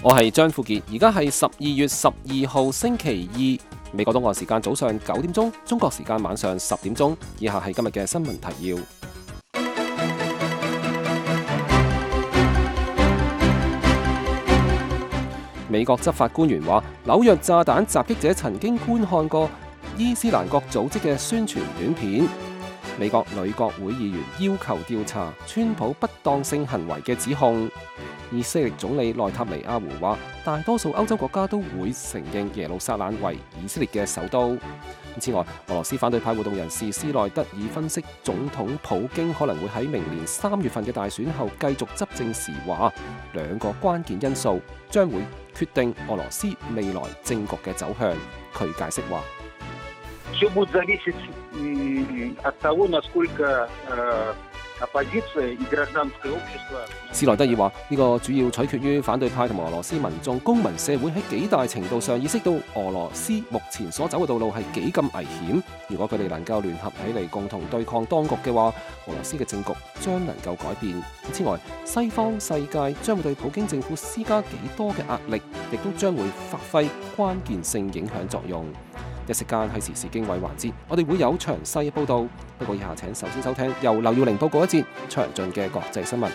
我係張富傑，而家係12月12號星期二，美國東岸時間早上9點鐘，中國時間晚上10點鐘。以下係今日嘅新聞提要。美國執法官員話，紐約炸彈襲擊者曾經觀看過伊斯蘭國組織嘅宣傳短片。美國女國會議員要求調查川普不當性行為嘅指控。以色列總理內塔尼亞胡話，大多數歐洲國家都會承認耶路撒冷為以色列嘅首都。此外，俄羅斯反對派活動人士斯內德爾分析總統普京可能會喺明年3月份嘅大選後繼續執政時話，兩個關鍵因素將會決定俄羅斯未來政局嘅走向。佢解釋話，斯內德爾話：呢個主要取決於反對派同埋俄羅斯民眾、公民社會喺幾大程度上意識到俄羅斯目前所走嘅道路係幾咁危險。如果佢哋能夠聯合起嚟共同對抗當局嘅話，俄羅斯嘅政局將能夠改變。此外，西方世界將會對普京政府施加幾多嘅壓力，亦都將會發揮關鍵性影響作用。一息間喺時事經緯環節，我哋會有詳細嘅報導。不過以下請首先收聽由劉耀玲報告一節詳盡嘅國際新聞。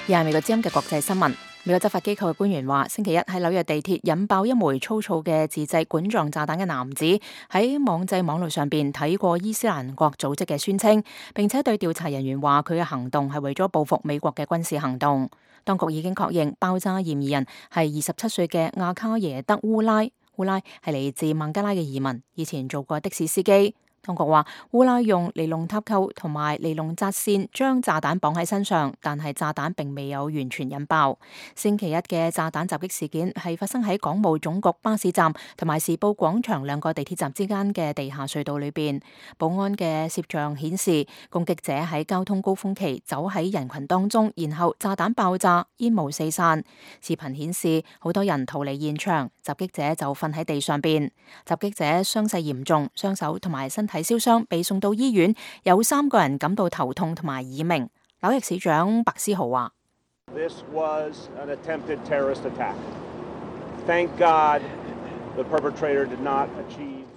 以下係美國之音嘅國際新聞。美國執法機構嘅官員話，星期一喺紐約地鐵引爆一枚粗糙嘅自製管狀炸彈嘅男子喺網際網路上邊睇過伊斯蘭國組織嘅宣稱，並且對調查人員話佢嘅行動係為咗報復美國嘅軍事行動。當局已經確認爆炸嫌疑人係27歲嘅亞卡耶德烏拉，烏拉係嚟自孟加拉嘅移民，以前做過的士司機。當局話，烏拉用尼龍塔扣同埋尼龍紮線將炸彈綁喺身上，但係炸彈並未有完全引爆。星期一嘅炸彈襲擊事件係發生喺港務總局巴士站同埋時報廣場兩個地鐵站之間嘅地下隧道裏邊。保安嘅攝像顯示，攻擊者喺交通高峰期走喺人群當中，然後炸彈爆炸，煙霧四散。視頻顯示好多人逃離現場，襲擊者就瞓喺地上邊。襲擊者傷勢嚴重，雙手同埋身體燒傷，被送到醫院，有3個人感到頭痛同埋耳鳴。紐約市長白思豪話：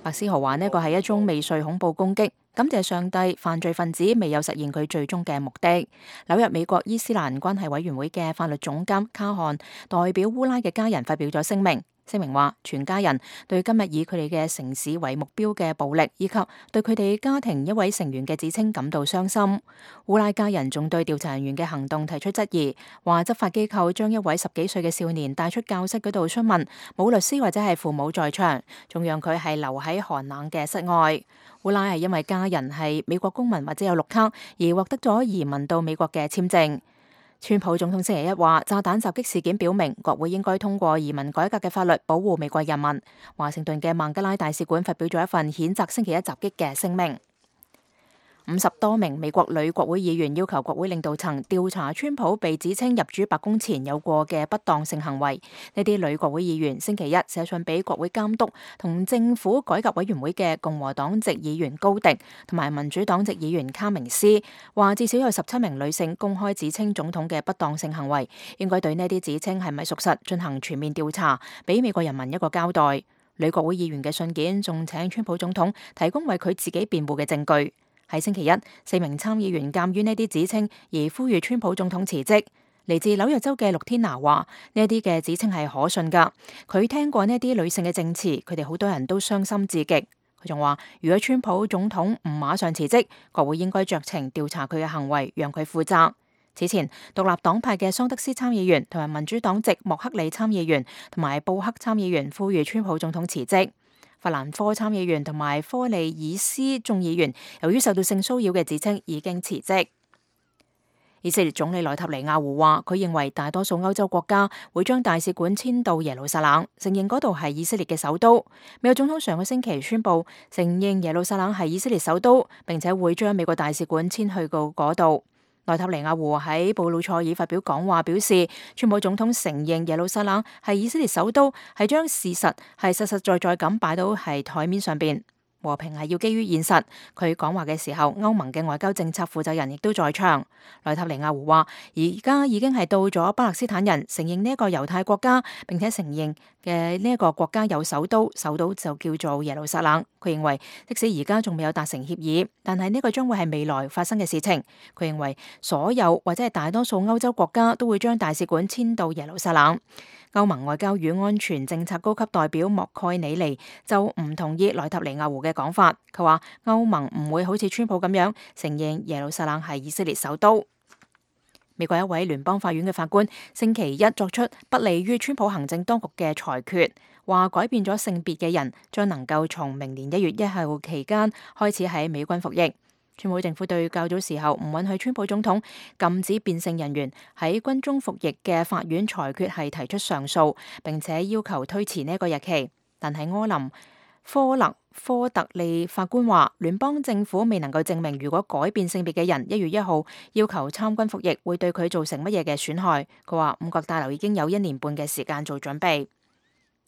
白思豪話呢個係一宗未遂恐怖攻擊，感謝上帝，犯罪分子未有實現佢最終嘅目的。紐約美國伊斯蘭關係委員會嘅法律總監卡漢代表烏拉嘅家人發表咗聲明。聲明話，全家人對今日以佢哋嘅城市為目標嘅暴力，以及對佢哋家庭一位成員嘅指稱感到傷心。烏拉家人仲對調查人員嘅行動提出質疑，話執法機構將一位10幾歲嘅少年帶出教室嗰度詢問，冇律師或者係父母在場，仲讓佢係留喺寒冷嘅室外。烏拉係因為家人係美國公民或者有綠卡而獲得咗移民到美國嘅簽證。川普總統星期一話，炸彈襲擊事件表明國會應該通過移民改革嘅法律，保護美國人民。華盛頓嘅孟加拉大使館發表咗一份譴責星期一襲擊嘅聲明。50多名美國女國會議員要求國會領導層調查川普被指稱入主白宮前有過嘅不當性行為。呢啲女國會議員星期一寫信俾國會監督同政府改革委員會嘅共和黨籍議員高迪同埋民主黨籍議員卡明斯，話至少有17名女性公開指稱總統嘅不當性行為，應該對呢啲指稱係咪屬實進行全面調查，俾美國人民一個交代。女國會議員嘅信件仲請川普總統提供為佢自己辯護嘅證據。喺星期一，4名參議員鑑於呢啲指稱而呼籲川普總統辭職。嚟自紐約州嘅陸天拿話：呢啲嘅指稱係可信㗎。佢聽過呢啲女性嘅證詞，佢哋好多人都傷心至極。佢仲話：如果川普總統唔馬上辭職，國會應該酌情調查佢嘅行為，讓佢負責。此前，獨立黨派嘅桑德斯參議員同埋民主黨籍莫克里參議員同埋布克參議員呼籲川普總統辭職。法蘭科參議員同埋科利爾斯眾議員由於受到性騷擾嘅指稱已經辭職。以色列總理內塔尼亞胡話，佢認為大多數歐洲國家會將大使館遷到耶路撒冷，承認嗰度係以色列嘅首都。美國總統上個星期宣布承認耶路撒冷係以色列首都，並且會將美國大使館遷去到嗰度。內塔尼亞胡喺布魯塞爾發表講話，表示川普總統承認耶路撒冷係以色列首都，係將事實係實實在在咁擺到係台面上邊。和平係要基於現實。佢講話嘅時候，歐盟嘅外交政策負責人亦都在場。內塔尼亞胡話：而家已經係到咗巴勒斯坦人承認呢一個猶太國家，並且承認嘅呢一個國家有首都，首都就叫做耶路撒冷。佢認為，即使而家仲未有達成協議，但係呢個將會係未來發生嘅事情。佢認為，所有或者係大多數歐洲國家都會將大使館遷到耶路撒冷。歐盟外交與安全政策高級代表莫蓋尼尼就唔同意內塔尼亞胡嘅講法。佢話歐盟唔會好似川普咁樣承認耶路撒冷係以色列首都。美國一位聯邦法院嘅法官星期一作出不利於川普行政當局嘅裁決，話改變咗性別嘅人將能夠從明年1月1號期間開始喺美軍服役。川普政府對較早時候唔允許川普總統禁止變性人員喺軍中服役嘅法院裁決係提出上訴，並且要求推遲呢一個日期。但係科特利法官話，聯邦政府未能夠證明如果改變性別嘅人1月1號要求參軍服役會對佢造成乜嘢嘅損害。佢話五角大樓已經有1年半嘅時間做準備。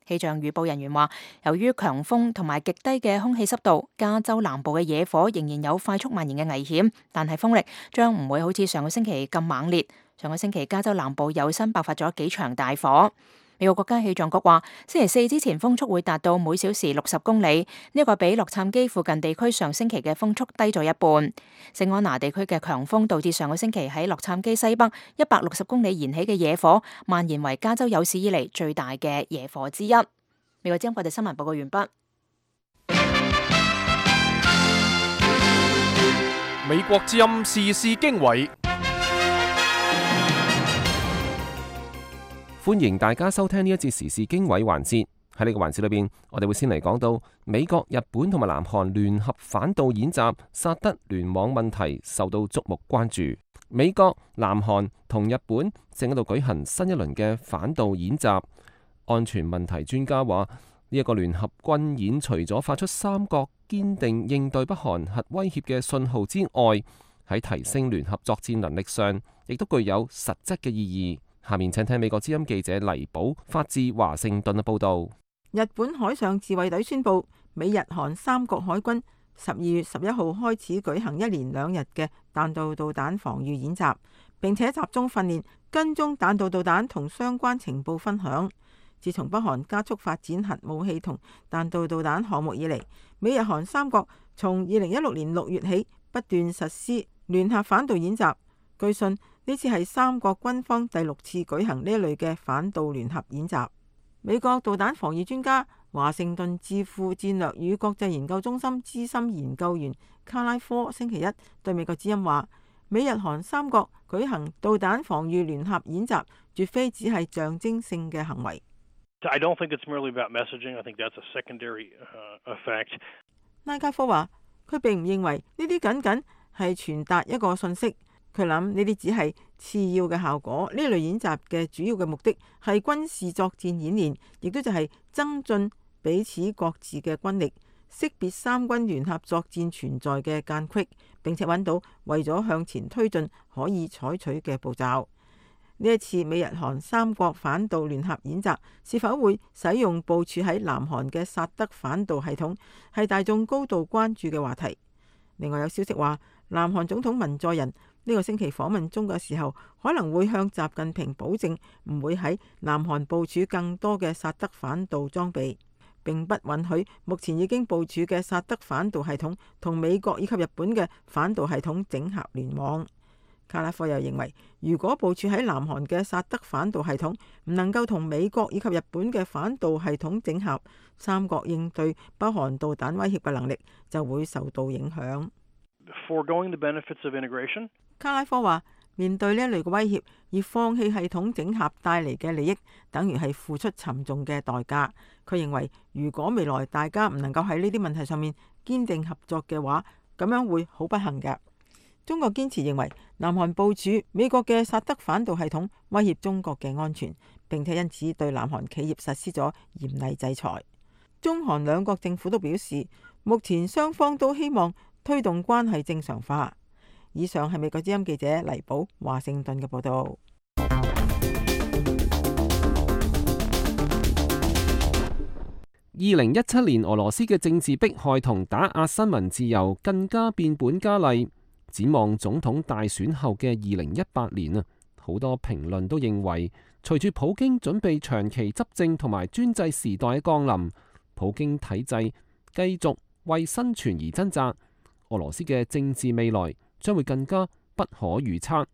氣象預報人員話，由於強風同埋極低嘅空氣濕度，加州南部嘅野火仍然有快速蔓延嘅危險，但係風力將唔會好似上個星期咁猛烈。上個星期加州南部有新爆發咗幾場大火。美國國家氣象局話，星期四之前風速會達到每小時60公里，呢個比洛杉磯附近地區上星期嘅風速低咗一半。聖安娜地區嘅強風導致上個星期喺洛杉磯西北160公里燃起嘅野火蔓延為加州有史以嚟最大嘅野火之一。美國之音國際新聞報告完畢。美國之音時事經緯。歡迎大家收聽呢一節時事經緯環節。喺呢個環節裏邊，我哋會先嚟講到美國、日本同埋南韓聯合反導演習，薩德聯網問題受到矚目關注。美國、南韓同日本正喺度舉行新一輪嘅反導演習。安全問題專家話，呢一個聯合軍演除咗發出三國堅定應對北韓核威脅嘅信號之外，喺提升聯合作戰能力上，亦都具有實質嘅意義。下面請聽美國之音記者黎寶發自華盛頓嘅報道。日本海上自衛隊宣布，美日韓三國海軍12月11號開始舉行1連2日嘅彈道導彈防禦演習，並且集中訓練跟蹤彈道導彈同相關情報分享。自從北韓加速發展核武器同彈道導彈項目以嚟，美日韓三國從2016年6月起不斷實施聯合反導演習。據信呢次係三國軍方第6次舉行呢一類嘅反導聯合演習。美國導彈防禦專家、華盛頓智庫戰略與國際研究中心資深研究員卡拉科星期一對美國之音話，美日韓三國舉行導彈防禦聯合演習，絕非只係象徵性嘅行為。I don't think it's merely about messaging. I think that's a secondary effect. 拉加科話，佢並唔認為呢啲僅僅係傳達一個信息。佢諗呢啲只係次要嘅效果。呢類演習嘅主要嘅目的係軍事作戰演練，亦都就係增進彼此各自嘅軍力，識別三軍聯合作戰存在嘅間隙，並且揾到為咗向前推進可以採取嘅步驟。呢一次美日韓三國反導聯合演習是否會使用部署喺南韓嘅薩德反導系統，係大眾高度關注嘅話題。另外有消息話，南韓總統文在寅呢個星期訪問中國嘅時候，可能會向習近平保證唔會喺南韓部署更多嘅薩德反導裝備，並不允許目前已經部署嘅薩德反導系統同美國以及日本嘅反導系統整合聯網。卡拉科又認為，如果部署喺南韓嘅薩德反導系統唔能夠同美國以及日本嘅反導系統整合，三國應對北韓導彈威脅嘅能力就會受到影響。Foregoing the benefits of integration. 卡拉科話，面對呢一類嘅威脅而放棄系統整合帶嚟嘅利益，等於係付出沉重嘅代價。佢認為，如果未來大家唔能夠喺呢啲問題上面堅定合作嘅話，咁樣會好不幸嘅。中國堅持認為，南韓部署美國嘅薩德反導系統威脅中國嘅安全，並且因此對南韓企業實施咗嚴厲制裁。中韓兩國政府都表示，目前雙方都希望推動關係正常化。以上係美國之音記者黎寶華盛頓嘅報道。2017年俄羅斯嘅政治迫害同打壓新聞自由更加變本加厲。展望總統大選後嘅2018年啊，好多評論都認為，隨住普京準備長期執政同埋專制時代嘅降臨，普京體制繼續為生存而掙扎，俄羅斯嘅政治未來將會更加不可預測。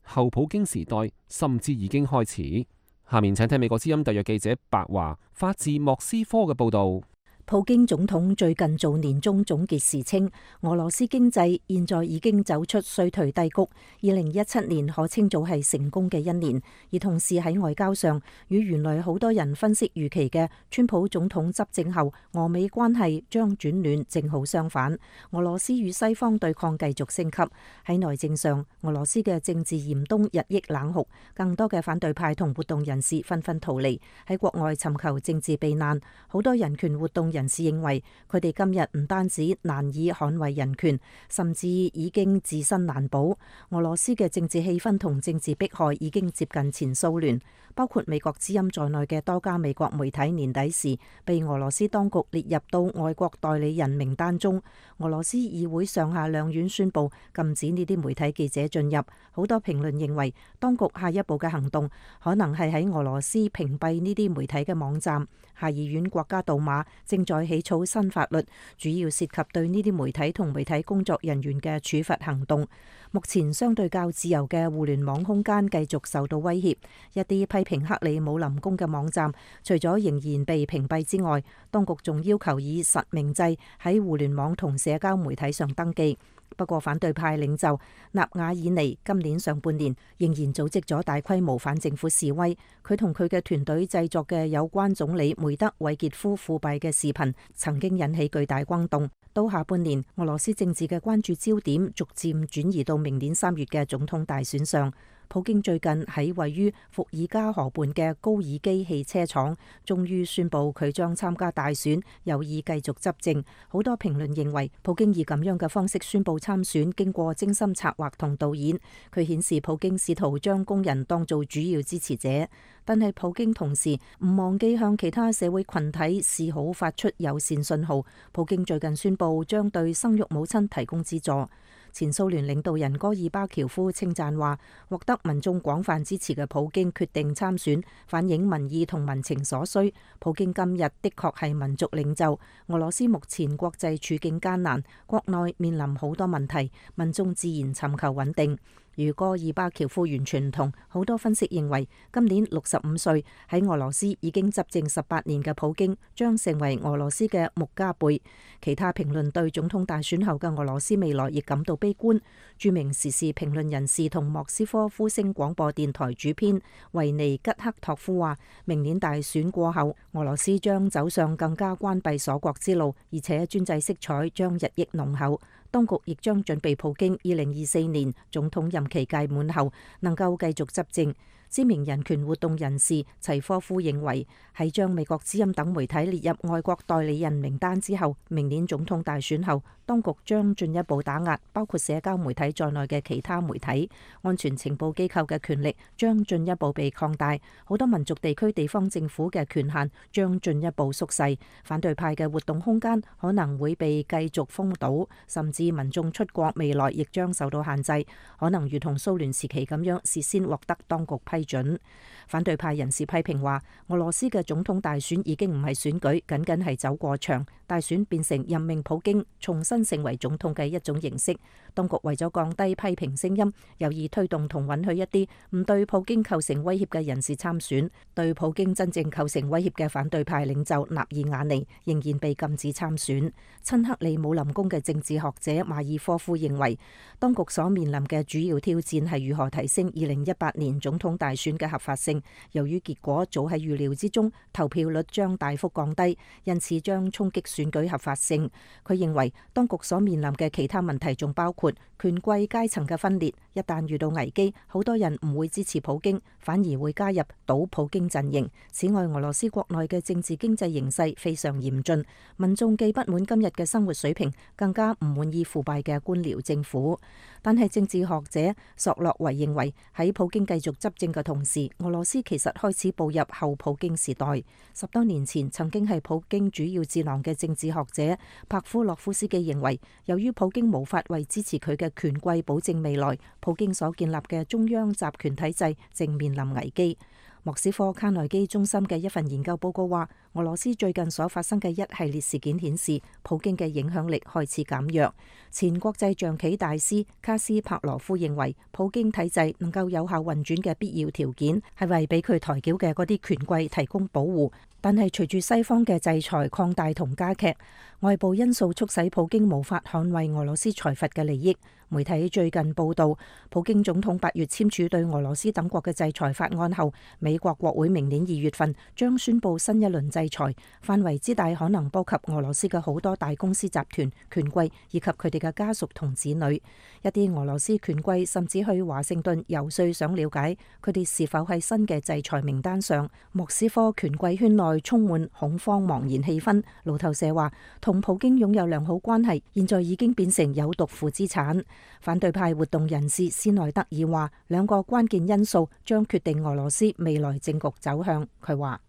後普京時代甚至已經開始。下面請聽美國之音特約記者白華發自莫斯科嘅報導。普京總統最近做年終總結時稱，俄羅斯經濟現在已經走出衰退低谷，2017年可稱做係成功嘅一年。而同時喺外交上，與原來好多人分析預期嘅川普總統執政後俄美關係將轉暖正好相反，俄羅斯與西方對抗繼續升級。喺內政上，俄羅斯嘅政治嚴冬日益冷酷，更多嘅反對派同活動人士紛紛逃離，喺國外尋求政治避難。好多人權活動人士認為，佢哋今日唔單止難以捍衛人權，甚至已經自身難保。俄羅斯嘅政治氣氛同政治迫害已經接近前蘇聯，包括美國之音在內嘅多家美國媒體年底時被俄羅斯當局列入到外國代理人名單中。俄羅斯議會上下兩院宣布禁止呢啲媒體記者進入。好多評論認為，當局下一步嘅行動可能係喺俄羅斯屏蔽呢啲媒體嘅網站。下議院國家杜馬正在起草新法律，主要涉及對呢啲媒體同媒體工作人員嘅處罰行動。目前相對較自由嘅互聯網空間繼續受到威脅，一啲批評克里姆林宮嘅網站，除咗仍然被屏蔽之外，當局仲要求以實名制喺互聯網同社交媒體上登記。不過反對派領袖納瓦爾尼今年上半年仍然組織咗大規模反政府示威，佢同佢嘅團隊製作嘅有關總理梅德韋傑夫腐敗嘅視頻曾經引起巨大轟動。到下半年，俄羅斯政治嘅關注焦點逐漸轉移到明年3月嘅總統大選上。普京最近喺位於伏爾加河畔嘅高爾基汽車廠終於宣布佢將參加大選，有意繼續執政。好多評論認為，普京以咁樣嘅方式宣布參選，經過精心策劃同導演。佢顯示普京試圖將工人當做主要支持者，但係普京同時唔忘記向其他社會群體示好，發出友善信號。普京最近宣布將對生育母親提供資助。前蘇聯領導人戈爾巴喬夫稱讚話，獲得民眾廣泛支持嘅普京決定參選，反映民意同民情所需。普京今日的確係民族領袖。俄羅斯目前國際處境艱難，國內面臨好多問題，民眾自然尋求穩定。與戈爾巴喬夫完全唔同，好多分析認為，今年65歲喺俄羅斯已經執政18年嘅普京將成為俄羅斯嘅穆加貝。其他評論對總統大選後嘅俄羅斯未來亦感到悲觀。著名時事評論人士同莫斯科呼聲廣播電台主編維尼吉克托夫話，明年大選過後，俄羅斯將走上更加關閉鎖國之路，而且專制色彩將日益濃厚。當局亦將準備普京2024年總統任期屆滿後能夠繼續執政。知名人權活動人士齊科夫認為，喺將美國之音等媒體列入外國代理人名單之後，明年總統大選後，當局將進一步打壓包括社交媒體在內嘅其他媒體，安全情報機構嘅權力將進一步被擴大，好多民族地區地方政府嘅權限將進一步縮細，反對派嘅活動空間可能會被繼續封堵，甚至民眾出國未來亦將受到限制，可能如同蘇聯時期咁樣事先獲得當局批准。反對派人士批評話，俄羅斯嘅總統大選已經唔係選舉，僅僅係走過場，大選變成任命普京重新成為總統嘅一種形式。當局為咗降低批評聲音，有意推動同允許一啲唔對普京構成威脅嘅人士參選。對普京真正構成威脅嘅反對派領袖納爾瓦尼仍然被禁止參選。親克里姆林宮嘅政治學者馬爾科夫認為，當局所面臨嘅主要挑戰係如何提升2018年總統大選嘅合法性。由於結果早喺預料之中，投票率將大幅降低，因此將衝擊選舉合法性。佢認為當局所面臨嘅其他問題仲包括權貴階層嘅分裂，一旦遇到危機，好多人唔會支持普京，反而會加入倒普京陣營。此外，俄羅斯國內嘅政治經濟形勢非常嚴峻，民眾既不滿今日嘅生活水平，更加唔滿意腐敗嘅官僚政府。但係政治學者索洛維認為，喺普京繼續執政嘅同時，俄羅斯其實開始步入後普京時代。10多年前曾經係普京主要智囊嘅政治學者帕夫洛夫斯基認為，由於普京無法為支持佢嘅權貴保證未來，普京所建立嘅中央集權體制正面臨危機。莫斯科卡內基中心嘅一份研究報告話，俄羅斯最近所發生嘅一系列事件顯示，普京嘅影響力開始減弱。前國際象棋大師卡斯帕羅夫認為，普京體制能夠有效運轉嘅必要條件係為俾佢抬轎嘅嗰啲權貴提供保護，但係隨住西方嘅制裁擴大同加劇，外部因素促使普京無法捍衛俄羅斯財閥嘅利益。媒體最近報道，普京總統8月簽署對俄羅斯等國嘅制裁法案後，美國國會明年2月份將宣布新一輪制裁，範圍之大可能波及俄羅斯嘅好多大公司集團、權貴以及佢哋嘅家屬同子女。一啲俄羅斯權貴甚至去華盛頓遊說，想了解佢哋是否喺新嘅制裁名單上。莫斯科權貴圈內充滿恐慌茫然氣氛。路透社話，同普京擁有良好關係，現在已經變成有毒負資產。反對派活動人士斯內德爾話，兩個關鍵因素將決定俄羅斯未來政局走向。佢話，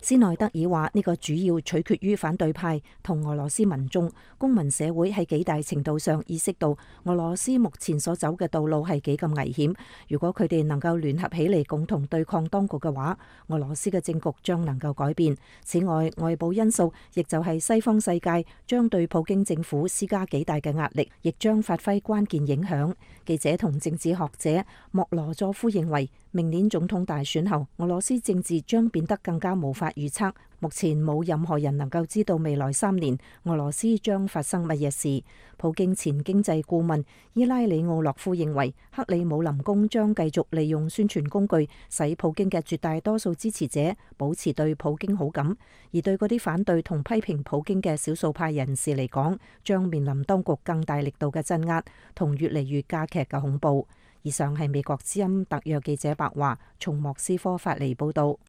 斯內德爾話，呢個主要取決於反對派同俄羅斯民眾、公民社會喺幾大程度上意識到俄羅斯目前所走嘅道路係幾咁危險。如果佢哋能夠聯合起嚟共同對抗當局嘅話，俄羅斯嘅政局將能夠改變。此外，外部因素亦就係西方世界將對普京政府施加幾大嘅壓力，亦將發揮關鍵影響。記者同政治學者莫羅佐夫認為，明年總統大選後，俄羅斯政治將變得更加無法預測。目前冇任何人能夠知道未來3年俄羅斯將發生乜嘢事。普京前經濟顧問伊拉里奧洛夫認為，克里姆林宮將繼續利用宣傳工具，使普京嘅絕大多數支持者保持對普京好感，而對嗰啲反對同批評普京嘅少數派人士嚟講，將面臨當局更大力度嘅鎮壓同越嚟越加劇嘅恐怖。以上係美國之音特約記者白華從莫斯科發嚟報道。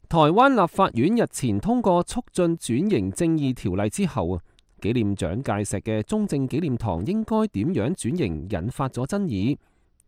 台灣立法院日前通過促進轉型正義條例之後，紀念蔣介石嘅中正紀念堂應該點樣轉型，引發咗爭議。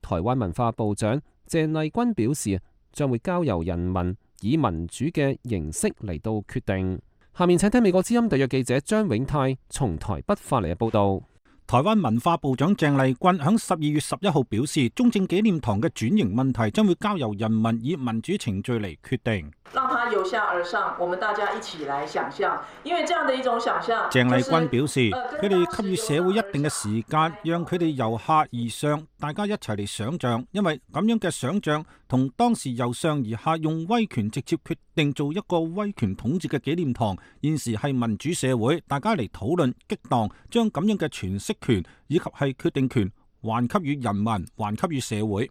台灣文化部長鄭麗君表示，將會交由人民以民主嘅形式嚟到決定。下面請聽美國之音特約記者張永泰從台北發嚟嘅報道。台灣文化部長鄭麗君喺12月11號表示，中正紀念堂嘅轉型問題將會交由人民以民主程序嚟決定。讓它由下而上，我們大家一起來想象，因為這樣的一種想象。鄭麗君表示，佢哋給予社會一定嘅時間，讓佢哋由下而上，大家一齊嚟想象，因為咁樣嘅想象同當時由上而下用威權直接決定做一個威權統治嘅紀念堂，現時係民主社會，大家嚟討論激盪，將咁樣嘅詮釋權以及係決定權還給予人民，還給予社會。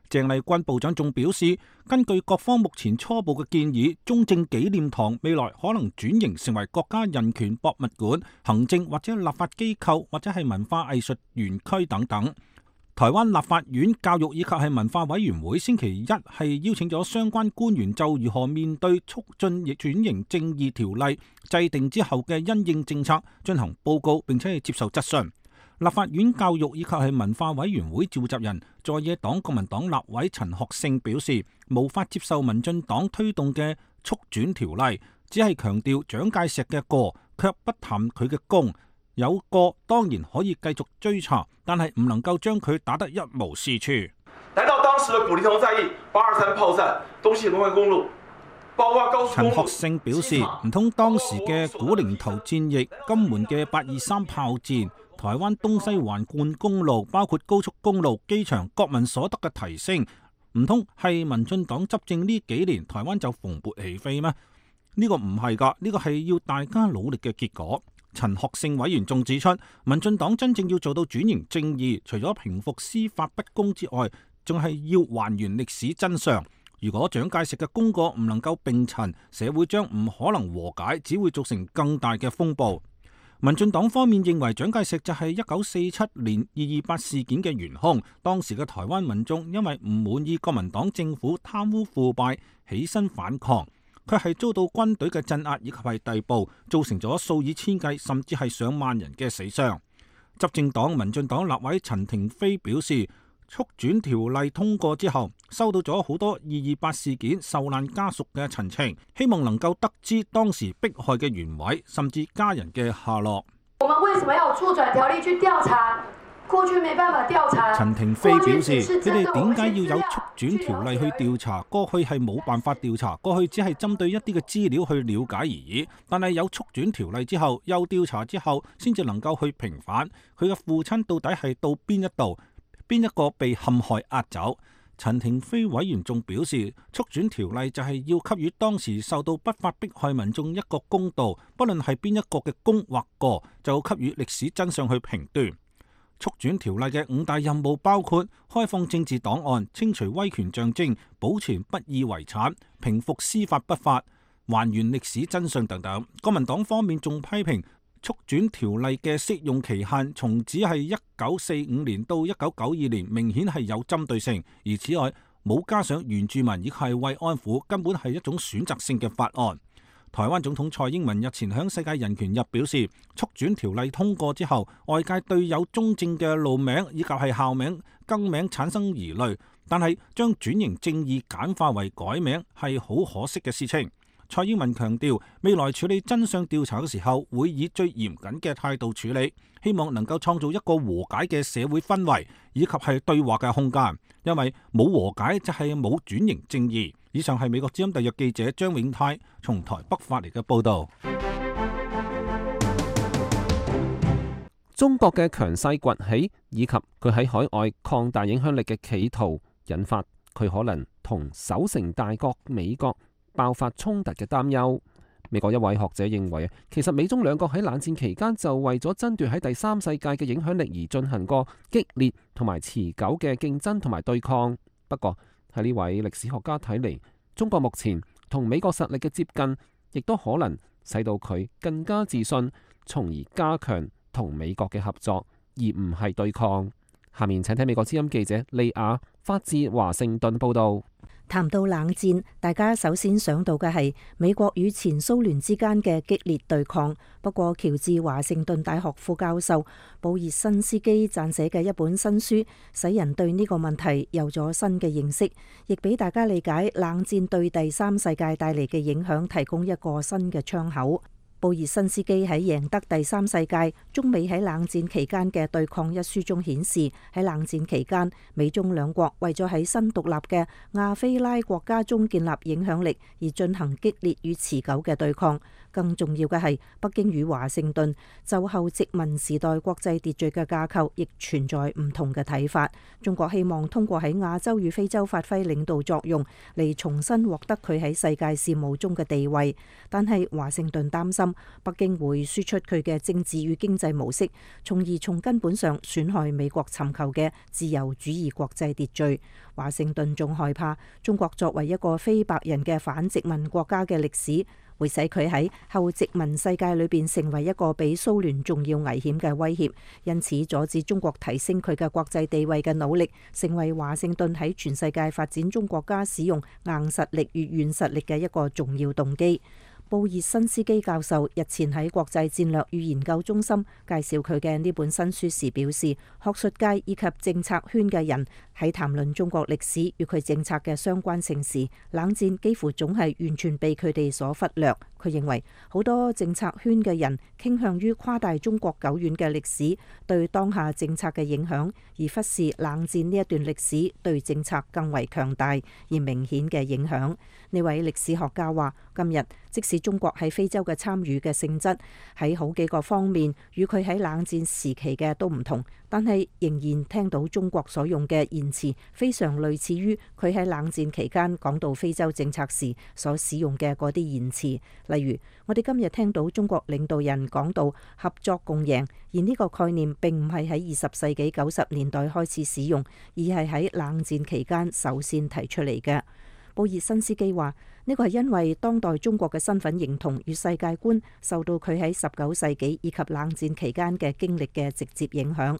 鄭麗君部長仲表示，根據各方目前初步嘅建議，中正紀念堂未來可能轉型成為國家人權博物館、行政或者立法機構或者係文化藝術園區等等。台灣立法院教育以及係文化委員會星期一係邀請咗相關官員就如何面對促進轉型正義條例制定之後嘅因應政策進行報告，並且係接受質詢。立法院教育以及係文化委員會召集人在野黨國民黨立委陳學聖表示，無法接受民進黨推動嘅促轉條例，只係強調蔣介石嘅過，卻不談佢嘅功。有過當然可以繼續追查，但係唔能夠將佢打得一無是處。難道當時嘅古寧頭戰役、823炮戰、東西龍環公路，包括高速公路？陳學聖表示，唔通當時嘅古寧頭戰役、金門嘅823炮戰、台灣東西環貫公路，包括高速公路、機場、國民所得嘅提升，唔通係民進黨執政呢幾年，台灣就蓬勃起飛咩？呢個唔係㗎，呢個係要大家努力嘅結果。陳學聖委員仲指出，民進黨真正要做到轉型正義，除咗平復司法不公之外，仲係要還原歷史真相。如果蔣介石嘅功過唔能夠並陳，社會將唔可能和解，只會造成更大嘅風暴。民進黨方面認為蔣介石就係1947年228事件嘅元兇，當時嘅台灣民眾因為唔滿意國民黨政府貪污腐敗，起身反抗，佢係遭到軍隊嘅鎮壓以及係逮捕，造成咗數以千計甚至係上萬人嘅死傷。執政黨民進黨立委陳亭妃表示，促轉條例通過之後，收到咗好多228事件受難家屬嘅陳情，希望能夠得知當時迫害嘅原委，甚至家人嘅下落。我們為什麼要促轉條例去調查？過去沒辦法調查。陳亭妃表示，佢哋點解要有促轉條例去調查？過去係冇辦法調查，過去只係針對一啲嘅資料去了解而已。但係有促轉條例之後，有調查之後，先至能夠去平反佢嘅父親到底係到邊一度。邊一個被陷害壓走？陳亭妃委員仲表示，促轉條例就係要給予當時受到不法迫害民眾一個公道，不論係邊一個嘅功或過，就給予歷史真相去評斷。促轉條例嘅5大任務包括開放政治檔案、清除威權象徵、保存不義遺產、平復司法不法、還原歷史真相等等。國民黨方面仲批評促轉條例嘅適用期限從只係1945年到1992年，明顯係有針對性，而此外冇加上原住民亦係慰安婦，根本係一種選擇性嘅法案。台灣總統蔡英文日前響世界人權日表示，促轉條例通過之後，外界對有中正嘅路名以及係校名更名產生疑慮，但係將轉型正義簡化為改名係好可惜嘅事情。蔡英文強調，未來處理真相調查嘅時候，會以最嚴謹嘅態度處理，希望能夠創造一個和解嘅社會氛圍，以及係對話嘅空間。因為冇和解就係冇轉型正義。以上係美國之音特約記者張永泰從台北發嚟嘅報導。中國嘅強勢崛起，以及佢喺海外擴大影響力嘅企圖，引發佢可能同守成大國美國爆發衝突嘅擔憂。美國一位學者認為，其實美中兩國喺冷戰期間就為咗爭奪喺第三世界嘅影響力而進行過激烈同埋持久嘅競爭同埋對抗。不過喺呢位歷史學家睇嚟，中國目前同美國實力嘅接近，亦都可能使到佢更加自信，從而加強同美國嘅合作，而唔係對抗。下面請聽美國之音記者利亞發自華盛頓報道。談到冷戰，大家首先想到嘅係美國與前蘇聯之間嘅激烈對抗。不過，喬治華盛頓大學副教授布熱新斯基撰寫嘅一本新書，使人對呢個問題有咗新嘅認識，亦俾大家理解冷戰對第三世界帶嚟嘅影響提供一個新嘅窗口。布熱新斯基喺《贏得第三世界：中美喺冷戰期間嘅對抗》一書中顯示，喺冷戰期間，美中兩國為咗喺新獨立嘅亞非拉國家中建立影響力而進行激烈與持久嘅對抗。更重要嘅係，北京與華盛頓就後殖民時代國際秩序嘅架構亦存在唔同嘅睇法。中國希望通過喺亞洲與非洲發揮領導作用，嚟重新獲得佢喺世界事務中嘅地位。但係華盛頓擔心北京會輸出佢嘅政治與經濟模式，從而從根本上損害美國尋求嘅自由主義國際秩序。華盛頓仲害怕中國作為一個非白人嘅反殖民國家嘅歷史，會使佢喺後殖民世界裏邊成為一個比蘇聯仲要危險嘅威脅，因此阻止中國提升佢嘅國際地位嘅努力，成為華盛頓喺全世界發展中國家使用硬實力與軟實力嘅一個重要動機。布熱新斯基教授日前喺國際戰略與研究中心介紹佢嘅呢本新書時表示，學術界以及政策圈嘅人喺談論中國歷史與佢政策嘅相關性時，冷戰幾乎總係完全被佢哋所忽略。佢認為好多政策圈嘅人傾向於誇大中國久遠嘅歷史對當下政策嘅影響，而忽視冷戰呢一段歷史對政策更為強大而明顯嘅影響。呢位歷史學家話，今日即使中國喺非洲嘅參與嘅性質喺好幾個方面與佢喺冷戰時期嘅都唔同，但係仍然聽到中國所用嘅言辭非常類似於佢喺冷戰期間講到非洲政策時所使用嘅嗰啲言辭。例如，我哋今日聽到中國領導人講到合作共贏，而呢個概念並唔係喺20世紀90年代開始使用，而係喺冷戰期間首先提出嚟嘅。布爾辛斯基話：呢個係因為當代中國嘅身份認同與世界觀受到佢喺19世紀以及冷戰期間嘅經歷嘅直接影響。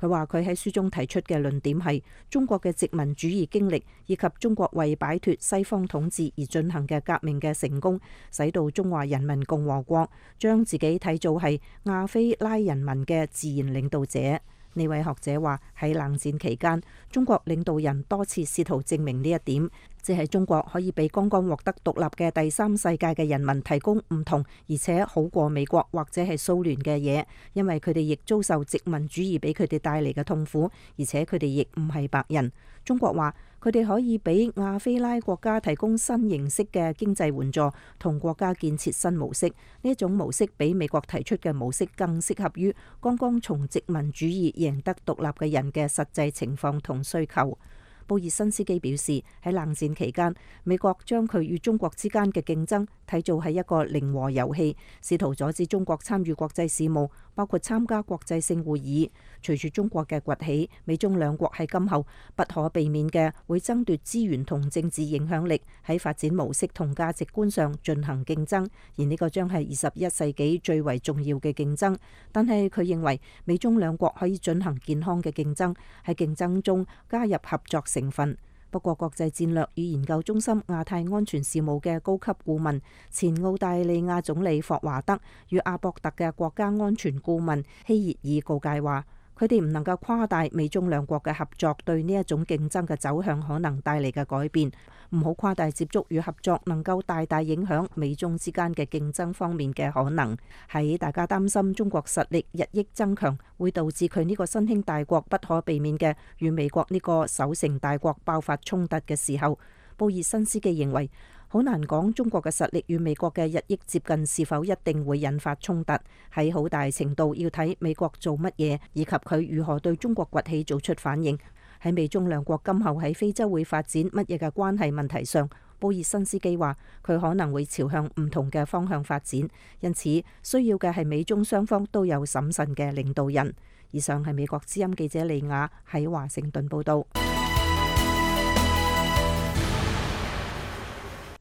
佢話佢喺書中提出嘅論點係中國嘅殖民主義經歷以及中國為擺脫西方統治而進行嘅革命嘅成功，使到中華人民共和國將自己睇做係亞非拉人民嘅自然領導者。呢位學者話喺冷戰期間，中國領導人多次試圖證明呢一點，即係中國可以俾剛剛獲得獨立嘅第三世界嘅人民提供唔同而且好過美國或者係蘇聯嘅嘢，因為佢哋亦遭受殖民主義俾佢哋帶嚟嘅痛苦，而且佢哋亦唔係白人。中國話佢哋可以俾亞非拉國家提供新形式嘅經濟援助同國家建設新模式，呢一種模式比美國提出嘅模式更適合於剛剛從殖民主義贏得獨立嘅人嘅實際情況同需求。布爾辛斯基表示，喺冷戰期間，美國將佢與中國之間嘅競爭睇做係一個零和遊戲，試圖阻止中國參與國際事務，包括參加國際性會議。隨住中國嘅崛起，美中兩國喺今後不可避免嘅會爭奪資源同政治影響力，喺發展模式同價值觀上進行競爭，而呢個將係21世紀最為重要嘅競爭。但係佢認為美中兩國可以進行健康嘅競爭，喺競爭中加入合作成分。不過，國際戰略與研究中心亞太安全事務嘅高級顧問、前澳大利亞總理霍華德與阿博特嘅國家安全顧問希熱爾告誡話，佢哋唔能夠誇大美中兩國嘅合作對呢一種競爭嘅走向可能帶嚟嘅改變，唔好誇大接觸與合作能夠大大影響美中之間嘅競爭方面嘅可能。喺大家擔心中國實力日益增強會導致佢呢個新興大國不可避免嘅與美國呢個守成大國爆發衝突嘅時候，布爾辛斯基認為好難講中國嘅實力與美國嘅日益接近是否一定會引發衝突，喺好大程度要睇美國做乜嘢，以及佢如何對中國崛起做出反應。喺美中兩國今後喺非洲會發展乜嘢嘅關係問題上，布爾辛斯基話佢可能會朝向唔同嘅方向發展，因此需要嘅係美中雙方都有審慎嘅領導人。以上係美國之音記者利亞喺華盛頓報道。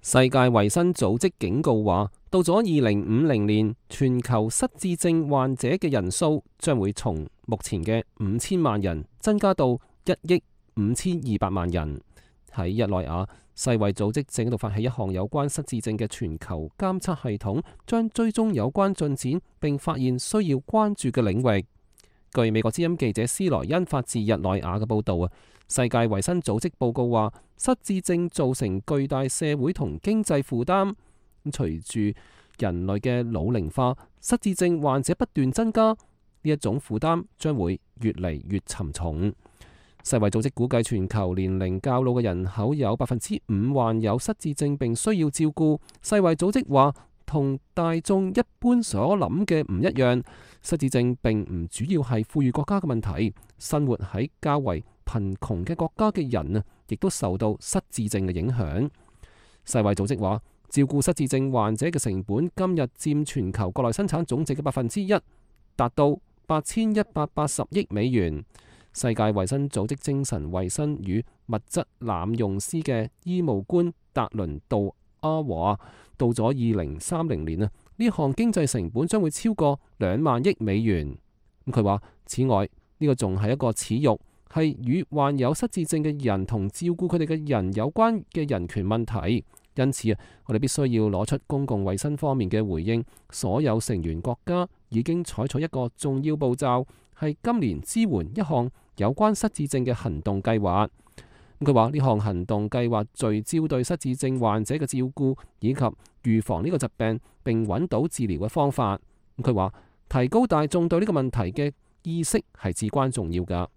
世界衛生組織警告話，到咗2050年，全球失智症患者嘅人數將會從目前嘅5000萬人增加到1億5200萬人。喺日內瓦，世衛組織正喺度發起一項有關失智症嘅全球監測系統，將追蹤有關進展並發現需要關注嘅領域。據美國之音記者斯萊恩發自日內瓦嘅報導啊，世界衛生組織報告話，失智症造成巨大社會同經濟負擔。隨住人類嘅老齡化，失智症患者不斷增加，呢一種負擔將會越嚟越沉重。世衛組織估計全球年齡較老嘅人口有5%患有失智症並需要照顧。世衛組織話，同大眾一般所諗嘅唔一樣，失智症並唔主要係富裕國家嘅問題，生活喺較為貧窮嘅國家嘅人啊，亦都受到失智症嘅影響。世衛組織話，照顧失智症患者嘅成本今日佔全球國內生產總值嘅1%，達到8180億美元。世界衛生組織精神衛生與物質濫用司嘅醫務官達倫杜阿話，到咗2030年啊，呢項經濟成本將會超過2萬億美元。佢話，此外呢個仲係一個恥辱，係與患有失智症嘅人同照顧佢哋嘅人有關嘅人權問題。因此啊，我哋必須要攞出公共衛生方面嘅回應。所有成員國家已經採取一個重要步驟，係今年支援一項有關失智症嘅行動計劃。佢話呢項行動計劃聚焦對失智症患者嘅照顧以及預防呢個疾病，並揾到治療嘅方法。佢話提高大眾對呢個問題嘅意識係至關重要㗎。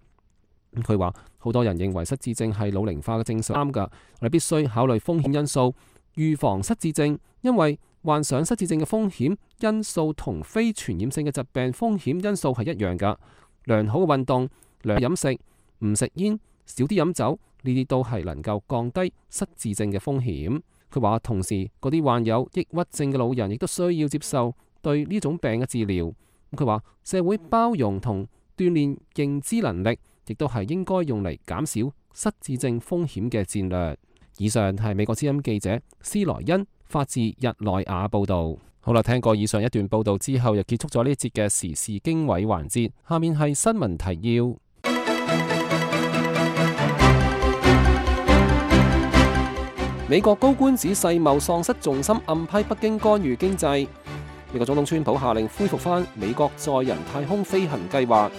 佢話好多人認為失智症係老齡化嘅症狀，啱㗎。我哋必須考慮風險因素，預防失智症，因為患上失智症嘅風險因素同非傳染性嘅疾病風險因素係一樣㗎。良好嘅運動、良好飲食、唔食煙、少啲飲酒，呢啲都係能夠降低失智症嘅風險。佢話同時嗰啲患有抑鬱症嘅老人亦都需要接受對呢種病嘅治療。佢話社會包容同鍛鍊認知能力，亦都係應該用嚟減少失智症風險嘅戰略。以上係美國之音記者斯萊恩發自日內瓦報導。好啦，聽過以上一段報導之後，又結束咗呢節嘅時事經緯環節。下面係新聞提要。美國高官指世貿喪失重心，暗批北京干預經濟。美國總統川普下令恢復返美國載人太空飛行計劃。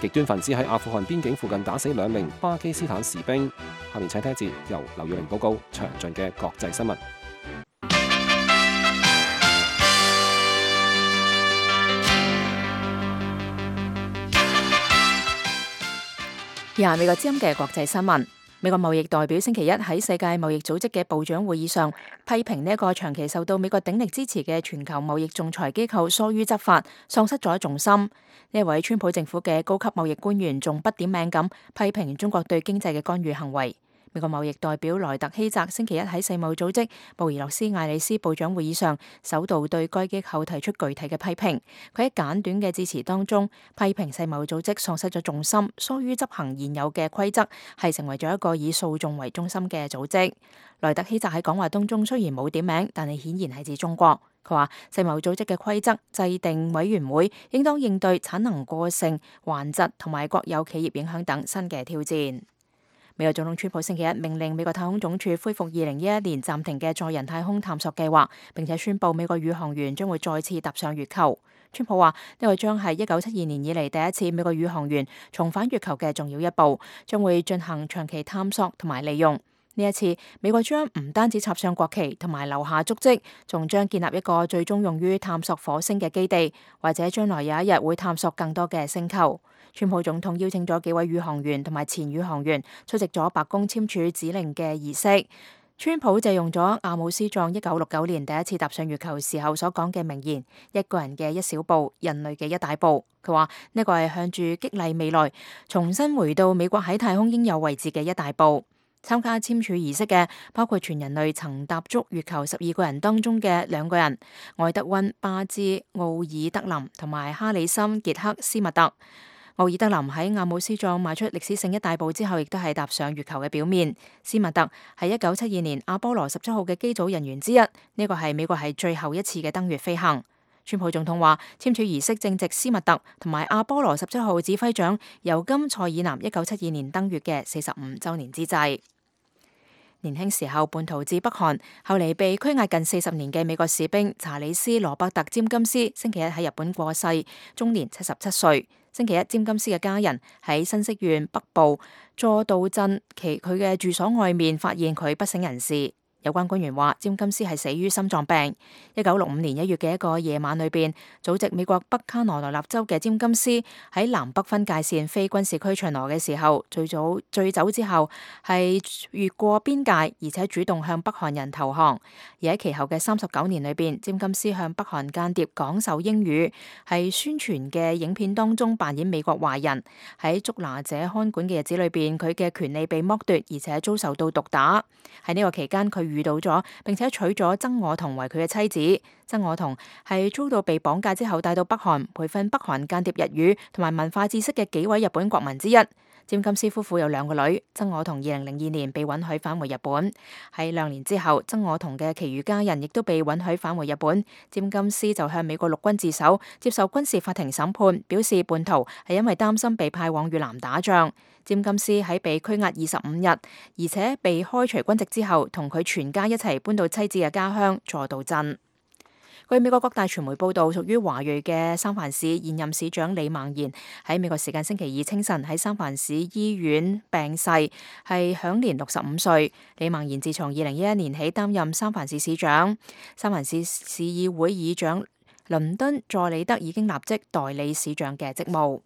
極端分子喺阿富汗邊境附近打死2名巴基斯坦士兵。下面請聽一節由劉耀玲報告詳盡嘅國際新聞。以下美國之音嘅國際新聞。美國貿易代表星期一喺世界貿易組織嘅部長會議上，批評呢一個長期受到美國鼎力支持嘅全球貿易仲裁機構疏於執法，喪失咗重心。呢一位川普政府嘅高級貿易官員仲不點名咁批評中國對經濟嘅干預行為。美國貿易代表萊特希澤星期一喺世貿組織布宜諾斯艾利斯部長會議上，首度對該機構提出具體嘅批評。佢喺簡短嘅致辭當中，批評世貿組織喪失咗重心，疏於執行現有嘅規則，係成為咗一個以訴訟為中心嘅組織。萊特希澤喺講話當中雖然冇點名，但係顯然係指中國。佢話世貿組織嘅規則制定委員會應當應對產能過剩、環疾同埋國有企業影響等新嘅挑戰。美國總統川普星期一命令美國太空總署恢復2011年暫停嘅載人太空探索計劃，並且宣布美國宇航員將會再次踏上月球。川普話呢個將係1972年以嚟第一次美國宇航員重返月球嘅重要一步，將會進行長期探索同埋利用。呢一次，美國將唔單止插上國旗同埋留下足跡，仲將建立一個最終用於探索火星嘅基地，或者將來有一日會探索更多嘅星球。川普總統邀請咗幾位宇航員同埋前宇航員出席咗白宮簽署指令嘅儀式。川普借用咗阿姆斯壯1969年第一次踏上月球時候所講嘅名言：一個人嘅一小步，人類嘅一大步。佢話呢個係向住激勵未來，重新回到美國喺太空應有位置嘅一大步。參加簽署儀式嘅包括全人類曾踏足月球12個人當中嘅2個人，愛德溫·巴茲奧爾德林同埋哈里森·傑克斯密特。奧爾德林喺阿姆斯壯邁出歷史性一大步之後，亦都係踏上月球嘅表面。斯密特係1972年阿波羅17號嘅機組人員之一，呢個係美國係最後一次嘅登月飛行。川普總統話，簽署儀式正值斯密特同埋阿波羅17號指揮長尤金·塞爾南1972年登月嘅45週年之際。年輕時候叛逃至北韓，後嚟被拘押近40年嘅美國士兵查理斯·羅伯特·詹金斯星期一喺日本過世，終年77歲。星期一，詹金斯嘅家人喺新潟縣北部佐渡鎮佢嘅住所外面發現佢不省人事。有關官員話，詹金斯係死於心臟病。1965年1月嘅一個夜晚裏邊，祖籍美國北卡羅來納州嘅詹金斯喺南北分界線非軍事區巡邏嘅時候，醉酒之後係越過邊界，而且主動向北韓人投降。而喺其後嘅39年裏邊，詹金斯向北韓間諜講授英語，喺宣傳嘅影片當中扮演美國壞人。喺捉拿者看管嘅日子裏邊，佢嘅權利被剝奪，而且遭受到毒打。喺呢個期間，佢遇到咗並且娶咗曾我彤為佢嘅妻子。曾我彤係遭到被綁架之後帶到北韓培訓北韓間諜日語同埋文化知識嘅幾位日本國民之一。詹金斯夫婦有2個女。曾我彤2002年被允許返回日本。喺2年之後，曾我彤嘅其餘家人亦都被允許返回日本。詹金斯就向美國陸軍自首，接受軍事法庭審判，表示叛逃係因為擔心被派往越南打仗。詹金斯喺被拘押25日，而且被開除軍籍之後，同佢全家一齊搬到妻子嘅家鄉佐渡鎮。據美國各大傳媒報道，屬於華裔嘅三藩市現任市長李孟賢喺美國時間星期二清晨喺三藩市醫院病逝，係享年65歲。李孟賢自從2011年起擔任三藩市市長，三藩市市議會議長倫敦佐里德已經立即代理市長嘅職務。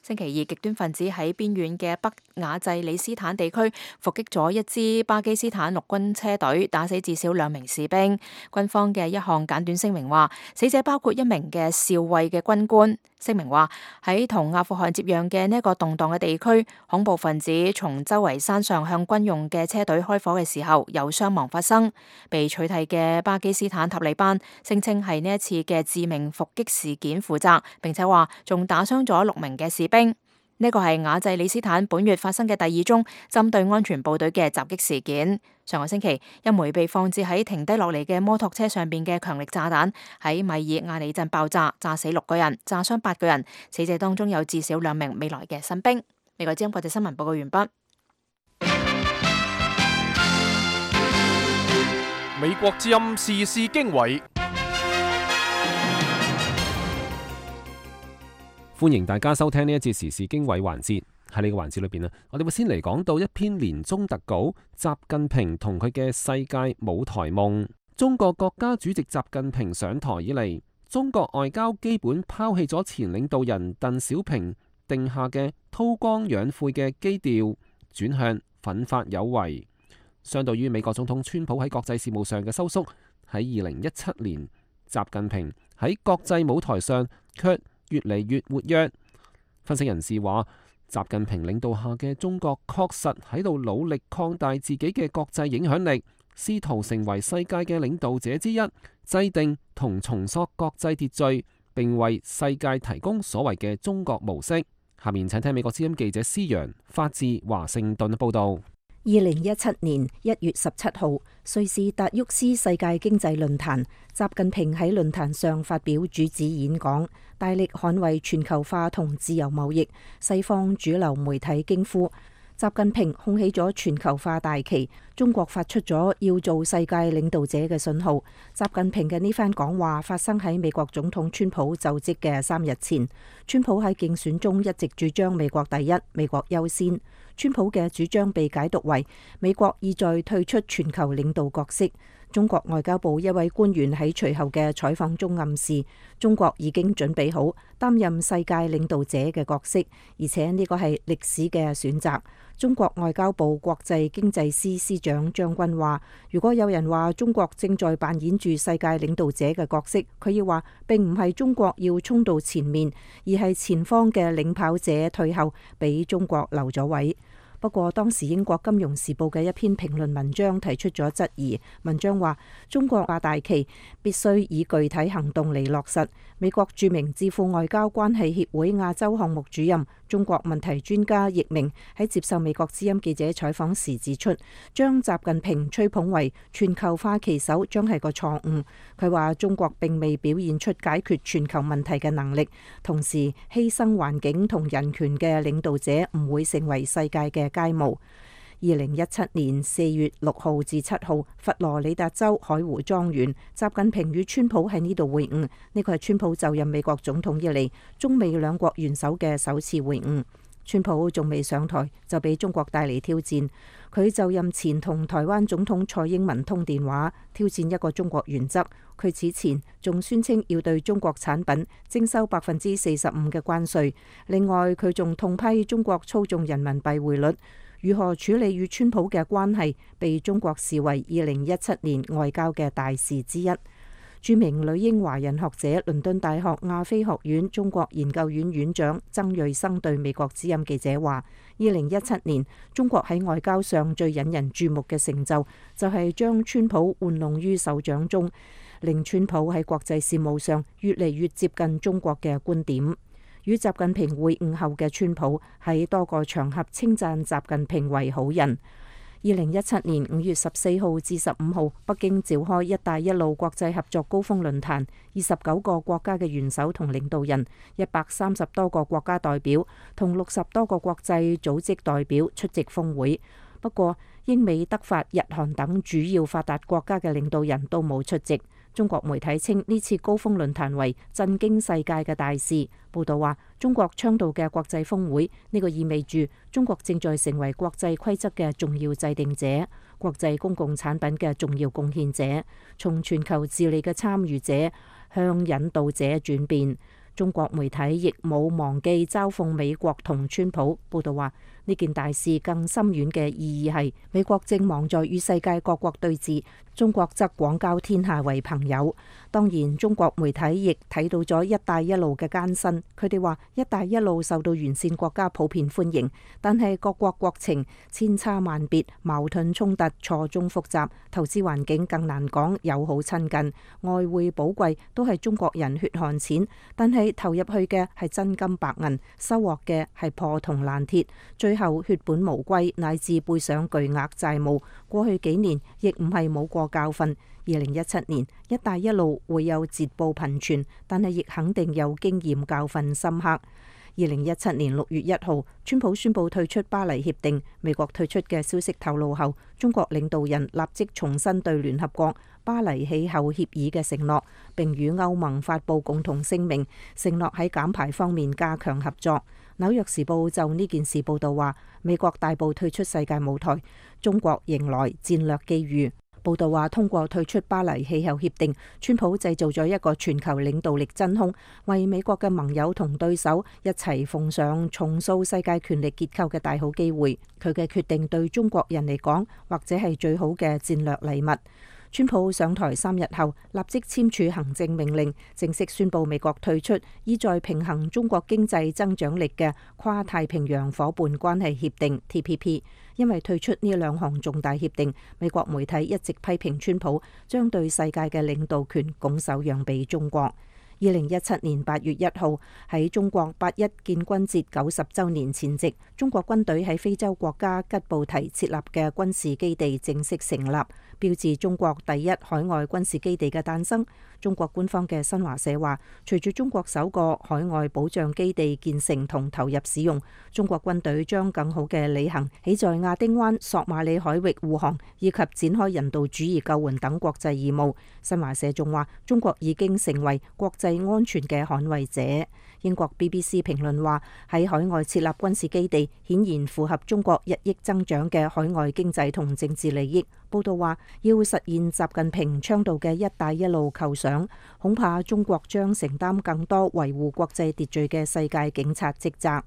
星期二，極端分子喺邊遠嘅北雅濟里斯坦地區伏擊咗一支巴基斯坦陸軍車隊，打死至少2名士兵。軍方嘅一項簡短聲明話，死者包括1名嘅少尉嘅軍官。聲明話喺同阿富汗接壤嘅呢一個動盪嘅地區，恐怖分子從周圍山上向軍用嘅車隊開火嘅時候，有傷亡發生。被取締嘅巴基斯坦塔利班聲稱係呢一次嘅致命伏擊事件負責，並且話仲打傷咗6名嘅士兵。呢個係雅濟里斯坦本月發生嘅第2宗針對安全部隊嘅襲擊事件。上個星期，一枚被放置喺停低落嚟嘅摩托車上邊嘅強力炸彈喺米爾亞里鎮爆炸，炸死6個人，炸傷8個人。死者當中有至少2名未來嘅新兵。美國之音國際新聞報告完畢。美國之音時事經緯。歡迎大家收聽呢一節時事經緯環節。喺呢個環節裏邊啊，我哋會先嚟講到一篇年終特稿：習近平同佢嘅世界舞台夢。中國國家主席習近平上台以嚟，中國外交基本拋棄咗前領導人鄧小平定下嘅韜光養晦嘅基調，轉向奮發有為。相對於美國總統川普喺國際事務上嘅收縮，喺2017年，習近平喺國際舞台上卻越嚟越活躍。分析人士話，習近平領導下嘅中國確實喺度努力擴大自己嘅國際影響力，試圖成為世界嘅領導者之一，制定同重塑國際秩序，並為世界提供所謂嘅中國模式。下面請聽美國之音記者施洋發自華盛頓報道。2017年1月17號，瑞士達沃斯世界經濟論壇，習近平喺論壇上發表主旨演講，大力捍衛全球化同自由貿易。西方主流媒體驚呼，習近平控起咗全球化大旗，中國發出咗要做世界領導者嘅信號。習近平嘅呢番講話發生喺美國總統川普就職嘅3日前。川普喺競選中一直主張美國第一、美國優先。川普嘅主張被解讀為美國意在退出全球領導角色。中國外交部一位官員喺隨後嘅採訪中暗示，中國已經準備好擔任世界領導者嘅角色，而且呢個係歷史嘅選擇。中國外交部國際經濟司司長張軍話，如果有人話中國正在扮演住世界領導者嘅角色，佢要話並唔係中國要衝到前面，而係前方嘅領跑者退後，俾中國留咗位。不過當時英國金融時報嘅一篇評論文章提出咗質疑，文章話中國掛大旗必須以具體行動嚟落實。美國著名智庫外交關係協會亞洲項目主任、中國問題專家易明喺接受美國之音記者採訪時指出，將習近平吹捧為全球化旗手將係個錯誤。佢話中國並未表現出解決全球問題嘅能力，同時犧牲環境同人權嘅領導者唔會成為世界嘅佳模。2017年4月6號至7號，佛羅里達州海湖莊園，習近平與川普喺呢度會晤。呢個係川普就任美國總統以嚟中美兩國元首嘅首次會晤。川普仲未上台就俾中國帶嚟挑戰。佢就任前同台灣總統蔡英文通電話，挑戰一個中國原則。佢此前仲宣稱要對中國產品徵收45%嘅關稅。另外，佢仲痛批中國操縱人民幣匯率。如何處理與川普嘅關係，被中國視為2017年外交嘅大事之一。著名女英華人學者、倫敦大學亞非學院中國研究院院長曾瑞生對美國之音記者話：2017年中國喺外交上最引人注目嘅成就，就係將川普玩弄於手掌中，令川普喺國際事務上越嚟越接近中國嘅觀點。與習近平會晤後嘅川普喺多個場合稱讚習近平為好人。2017年5月14號至15號，北京召開一帶一路國際合作高峰論壇，29個國家嘅元首同領導人，130多個國家代表同60多個國際組織代表出席峰會。不過，英美德法日韓等主要發達國家嘅領導人都冇出席。中國媒體稱呢次高峰論壇為震驚世界嘅大事。報道話，中國倡導嘅國際峰會，呢個意味住中國正在成為國際規則嘅重要制定者、國際公共產品嘅重要貢獻者，從全球治理嘅參與者向引導者轉變。中國媒體亦冇忘記嘲諷美國同川普。報道話，呢件大事更深遠嘅意義係美國正忙在與世界各國對峙，中國則廣交天下為朋友。當然，中國媒體亦睇到咗一帶一路嘅艱辛。佢哋話一帶一路受到沿線國家普遍歡迎，但係各國國情千差萬別，矛盾衝突錯綜複雜，投資環境更難講友好親近，外匯寶貴都係中國人血汗錢，但係投入去嘅係真金白銀，收穫嘅係破銅爛鐵，最後血本無歸，乃至背上巨額債務。過去幾年亦唔係冇過教訓。2017年一帶一路會有捷報頻傳，但係亦肯定有經驗教訓深刻。2017年6月1號，川普宣布退出巴黎協定。美國退出嘅消息透露後，中國領導人立即重申對聯合國巴黎氣候協議嘅承諾，並與歐盟發布共同聲明，承諾喺減排方面加強合作。紐約時報就呢件事報道話，美國大步退出世界舞台，中國迎來戰略機遇。報道話，通過退出巴黎氣候協定，川普製造咗一個全球領導力真空，為美國嘅盟友同對手一齊奉上重塑世界權力結構嘅大好機會。佢嘅決定對中國人嚟講，或者係最好嘅戰略禮物。川普上台3日後，立即簽署行政命令，正式宣布美國退出意在平衡中國經濟增長力嘅跨太平洋夥伴關係協定 TPP。因為退出呢兩項重大協定，美國媒體一直批評川普將對世界嘅領導權拱手讓俾中國。2017年8月1號，喺中國8·1建軍節90週年前夕，中國軍隊喺非洲國家吉布提設立嘅軍事基地正式成立，標誌中國第一海外軍事基地嘅誕生。中國官方嘅新華社話，隨住中國首個海外保障基地建成同投入使用，中國軍隊將更好嘅履行起在亞丁灣、索馬里海域護航以及展開人道主義救援等國際義務。新華社仲話，中國已經成為國際安全嘅捍衛者。英國 BBC 評論話，喺海外設立軍事基地顯然符合中國日益增長嘅海外經濟同政治利益。報道話，要實現習近平倡導嘅一帶一路構想，恐怕中國將承擔更多維護國際秩序嘅世界警察職責。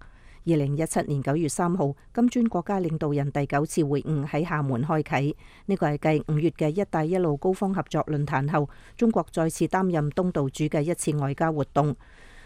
2017年9月3號，金磚國家領導人第9次會晤喺廈門開啟，呢個係繼5月嘅一帶一路高峰合作論壇後，中國再次擔任東道主嘅一次外交活動。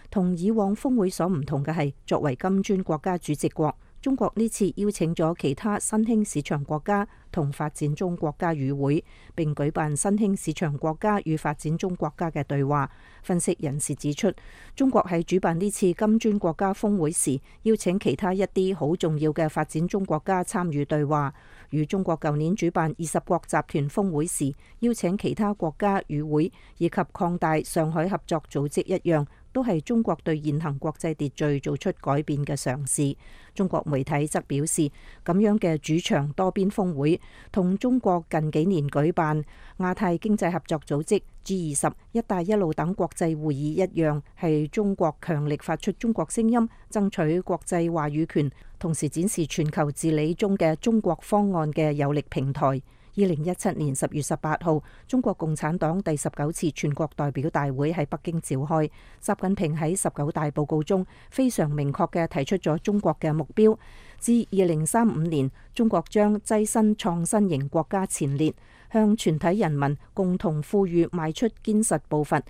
同以往峰會所唔同嘅係，作為金磚國家主席國，中國呢次邀請咗其他新興市場國家同發展中國家與會，並舉辦新興市場國家與發展中國家嘅對話。分析人士指出，中國喺主辦呢次金磚國家峰會時，邀請其他一啲好重要嘅發展中國家參與對話，與中國舊年主辦20國集團峰會時，邀請其他國家與會以及擴大上海合作組織一樣，都係中國對現行國際秩序做出改變嘅嘗試。中國媒體則表示，咁樣嘅主場多邊峰會同中國近幾年舉辦亞太經濟合作組織、G20、一帶一路等國際會議一樣，係中國強力發出中國聲音，爭取國際話語權，同時展示全球治理中嘅中國方案嘅有力平台。2017年10月18號，中國共產黨第19次全國代表大會喺北京召開。習近平喺19大報告中非常明確嘅提出咗中國嘅目標，至2035年，中國將躋身創新型國家前列，向全體人民共同富裕邁出堅實步伐。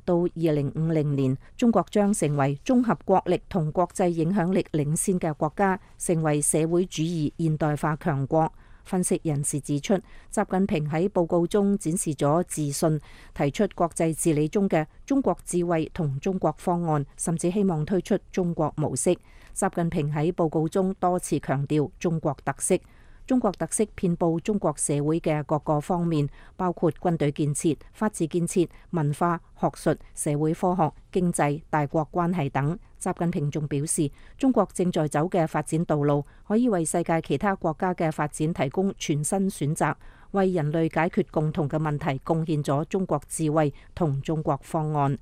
到2050年，中國將成為綜合國力同國際影響力領先嘅國家，成為社會主義現代化強國。分析人士指出，習近平喺報告中展示咗自信，提出國際治理中嘅中國智慧同中國方案，甚至希望推出中國模式。習近平喺報告中多次強調中國特色。中國特色遍佈中國社會嘅各個方面，包括軍隊建設、法治建設、文化、學術、社會科學、經濟、大國關係等。習近平仲表示，中國正在走嘅發展道路，可以為世界其他國家嘅發展提供全新選擇，為人類解決共同嘅問題貢獻咗中國智慧同中國方案。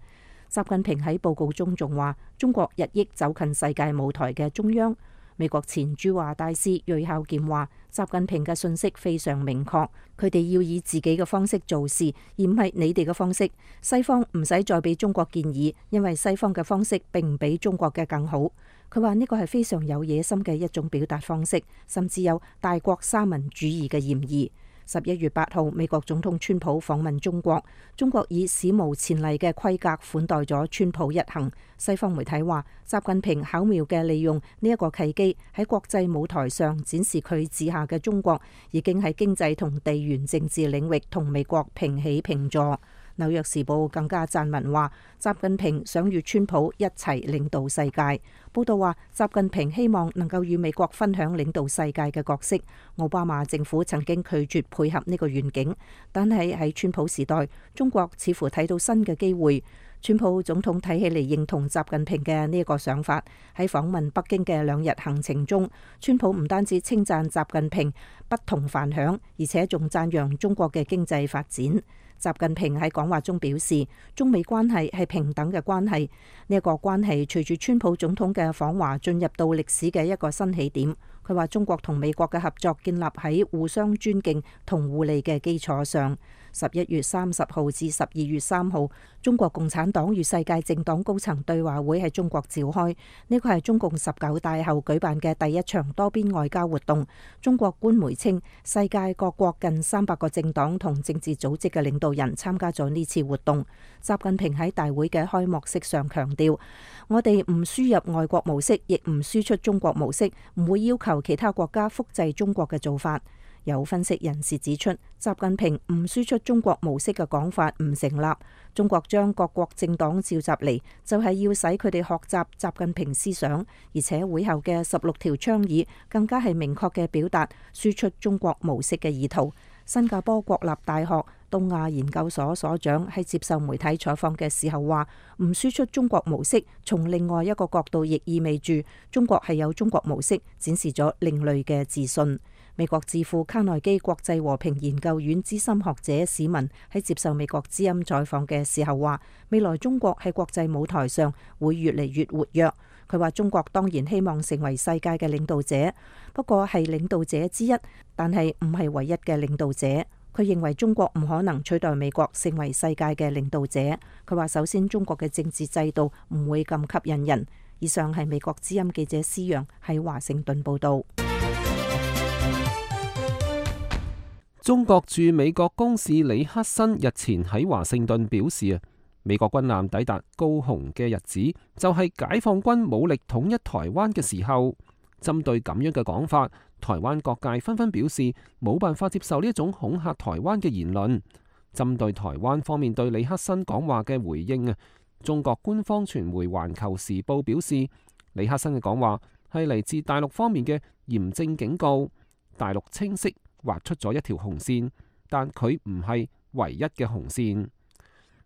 習近平喺報告中仲話，中國日益走近世界舞台嘅中央。美國前駐華大使芮孝健話：習近平嘅信息非常明確，佢哋要以自己嘅方式做事，而唔係你哋嘅方式。西方唔使再俾中國建議，因為西方嘅方式並唔比中國嘅更好。佢話呢個係非常有野心嘅一種表達方式，甚至有大國三民主義嘅嫌疑。11月8號，美國總統川普訪問中國，中國以史無前例嘅規格款待咗川普一行。西方媒體話，習近平巧妙嘅利用呢一個契機，喺國際舞台上展示佢治下嘅中國已經喺經濟同地緣政治領域同美國平起平坐。紐約時報更加撰文話，習近平想與川普一齊領導世界。報道話，習近平希望能夠與美國分享領導世界嘅角色。奧巴馬政府曾經拒絕配合呢個願景，但係喺川普時代，中國似乎睇到新嘅機會。川普總統睇起嚟認同習近平嘅呢個想法。喺訪問北京嘅2日行程中，川普唔單止稱讚習近平不同凡響，而且仲讚揚中國嘅經濟發展。習近平喺講話中表示，中美關係係平等嘅關係。呢一個關係隨住川普總統嘅訪華進入到歷史嘅一個新起點。佢話中國同美國嘅合作建立喺互相尊敬同互利嘅基礎上。11月30號至12月3號，中國共產黨與世界政黨高層對話會喺中國召開。呢個係中共19大後舉辦嘅第一場多邊外交活動。中國官媒稱，世界各國近300個政黨同政治組織嘅領導人參加咗呢次活動。習近平喺大會嘅開幕式上強調，我哋唔輸入外國模式，亦唔輸出中國模式，唔會要求其他國家複製中國嘅做法。有分析人士指出，習近平唔輸出中國模式嘅講法唔成立。中國將各國政黨召集嚟，就係要使佢哋學習習近平思想，而且會後嘅16條倡議更加係明確嘅表達輸出中國模式嘅意圖。新加坡國立大學東亞研究所所長喺接受媒體採訪嘅時候話，唔輸出中國模式，從另外一個角度亦意味住中國係有中國模式，展示咗另類嘅自信。美國智庫卡內基國際和平研究院資深學者史文喺接受美國之音採訪嘅時候話，未來中國喺國際舞台上會越嚟越活躍。佢話中國當然希望成為世界嘅領導者，不過係領導者之一，但係唔係唯一嘅領導者。佢認為中國唔可能取代美國成為世界嘅領導者。佢話首先中國嘅政治制度唔會咁吸引人。以上係美國之音記者施陽喺華盛頓報道。中國駐美國公使李克森日前喺華盛頓表示美國軍艦抵達高雄嘅日子就係解放軍武力統一台灣嘅時候。針對咁樣嘅講法，台灣各界紛紛表示冇辦法接受呢一種恐嚇台灣嘅言論。針對台灣方面對李克森講話嘅回應中國官方傳媒《環球時報》表示，李克森嘅講話係嚟自大陸方面嘅嚴正警告，大陸清晰劃出咗一條紅線，但佢唔係唯一嘅紅線。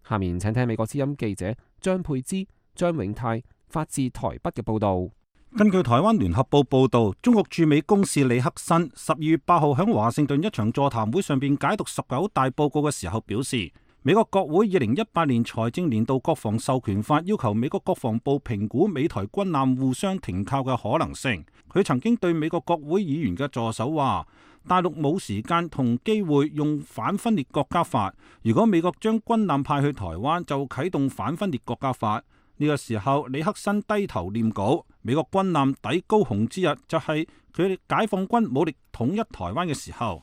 下面請聽美國之音記者張佩芝、張永泰發自台北嘅報道。根據台灣聯合報報道，中國駐美公使李克森12月8號喺華盛頓一場座談會上邊解讀19大報告嘅時候表示，美國國會2018年財政年度國防授權法要求美國國防部評估美台軍艦互相停靠嘅可能性。佢曾經對美國國會議員嘅助手話，大陸冇時間同機會用反分裂國家法，如果美國將軍艦派去台灣，就啟動反分裂國家法。呢個時候，李克森低頭念稿。美國軍艦抵高雄之日，就係佢哋解放軍武力統一台灣嘅時候。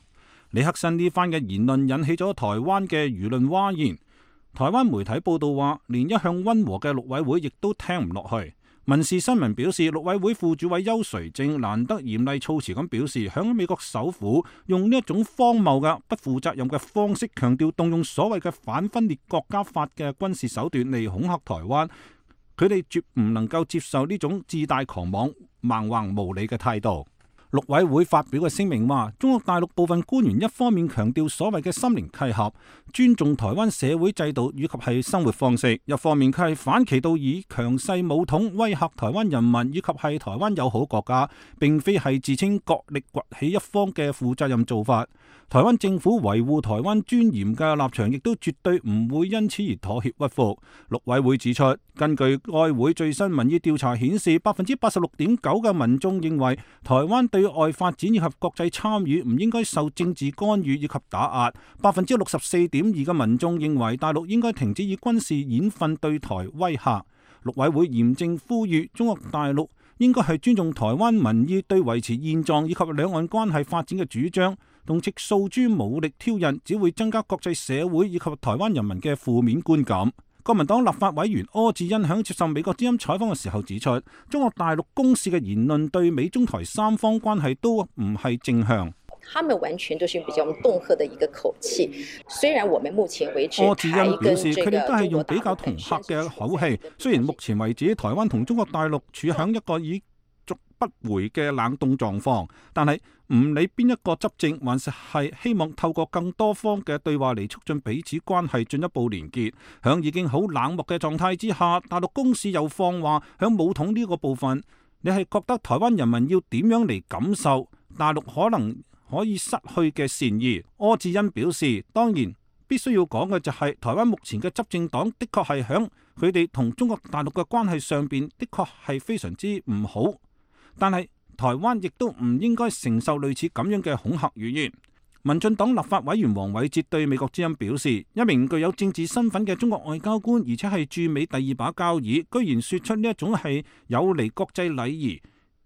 李克森呢番嘅言論引起咗台灣嘅輿論譁然。台灣媒體報道話，連一向溫和嘅陸委會亦都聽唔落去。民事新聞表示，陸委會副主委邱垂正難得嚴厲措辭咁表示，響美國首府用呢一種荒謬嘅不負責任嘅方式，強調動用所謂嘅反分裂國家法嘅軍事手段嚟恐嚇台灣。佢哋絕唔能夠接受呢種自大狂妄、蠻橫無理嘅態度。陸委會發表嘅聲明話，中國大陸部分官員一方面強調所謂嘅心靈契合，尊重台灣社會制度以及係生活方式，一方面佢係反其道以強勢武統威嚇台灣人民以及係台灣友好國家，並非係自稱國力崛起一方嘅負責任做法。台灣政府維護台灣尊嚴嘅立場亦都絕對唔會因此而妥協屈服。陸委會指出，根據該會最新民意調查顯示，86.9% 嘅民眾認為台灣對外發展以及國際參與唔應該受政治干預以及打壓，64.2% 嘅民眾認為大陸應該停止以軍事演訓對台威嚇。陸委會嚴正呼籲中國大陸應該係尊重台灣民意對維持現狀以及兩岸關係發展嘅主張，動輒訴諸武力挑釁，只會增加國際社會以及台灣人民嘅負面觀感。國民黨立法委員柯志恩響接受美國之音採訪嘅時候指出，中國大陸公使嘅言論對美中台三方關係都唔係正向。他們完全都是比較恫嚇的一個口氣，雖然我們目前為止，柯志恩表示佢哋都係用比較恫嚇嘅口氣，雖然目前為止台灣同中國大陸處響一個已逐不回嘅冷凍狀況，但係唔理邊一個執政，還是希望透過更多方嘅對話嚟促進彼此關係進一步連結。響已經好冷漠嘅狀態之下，大陸公使又放話響武統呢個部分，你係覺得台灣人民要點樣嚟感受大陸可能可以失去嘅善意？柯志恩表示，當然必須要講嘅就係台灣目前嘅執政黨的確係響佢哋同中國大陸嘅關係上邊的確係非常之唔好，但係台灣亦都唔應該承受類似咁樣嘅恐嚇語言。民進黨立法委員黃偉哲對美國之音表示，一名具有政治身份嘅中國外交官，而且係駐美第二把交椅，居然說出呢一種係有違國際禮儀、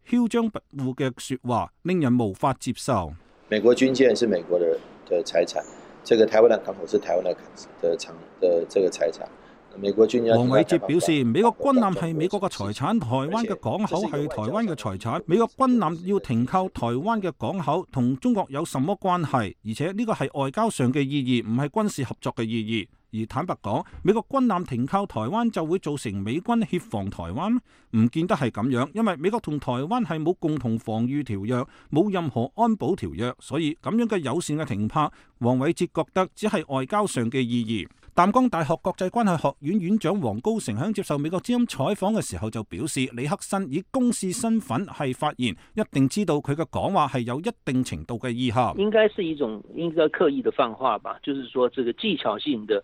囂張跋扈嘅說話，令人無法接受。美國軍艦是美國的財產，這個台灣的港口是台灣的這個財產。美國軍艦。黃偉哲表示，美國軍艦係美國嘅財產，台灣嘅港口係台灣嘅財產。美國軍艦要停靠台灣嘅港口，同中國有什麼關係？而且呢個係外交上嘅意義，唔係軍事合作嘅意義。而坦白講，美國軍艦停靠台灣就會造成美軍協防台灣？唔見得係咁樣，因為美國同台灣係冇共同防禦條約，冇任何安保條約，所以咁樣嘅友善嘅停泊，黃偉哲覺得只係外交上嘅意義。淡江大學國際關係學院院長黃高成喺接受美國之音採訪嘅時候就表示，李克新以公使身份係發言，一定知道佢嘅講話係有一定程度嘅意涵。應該是一種應該刻意的放話吧，就是說這個技巧性的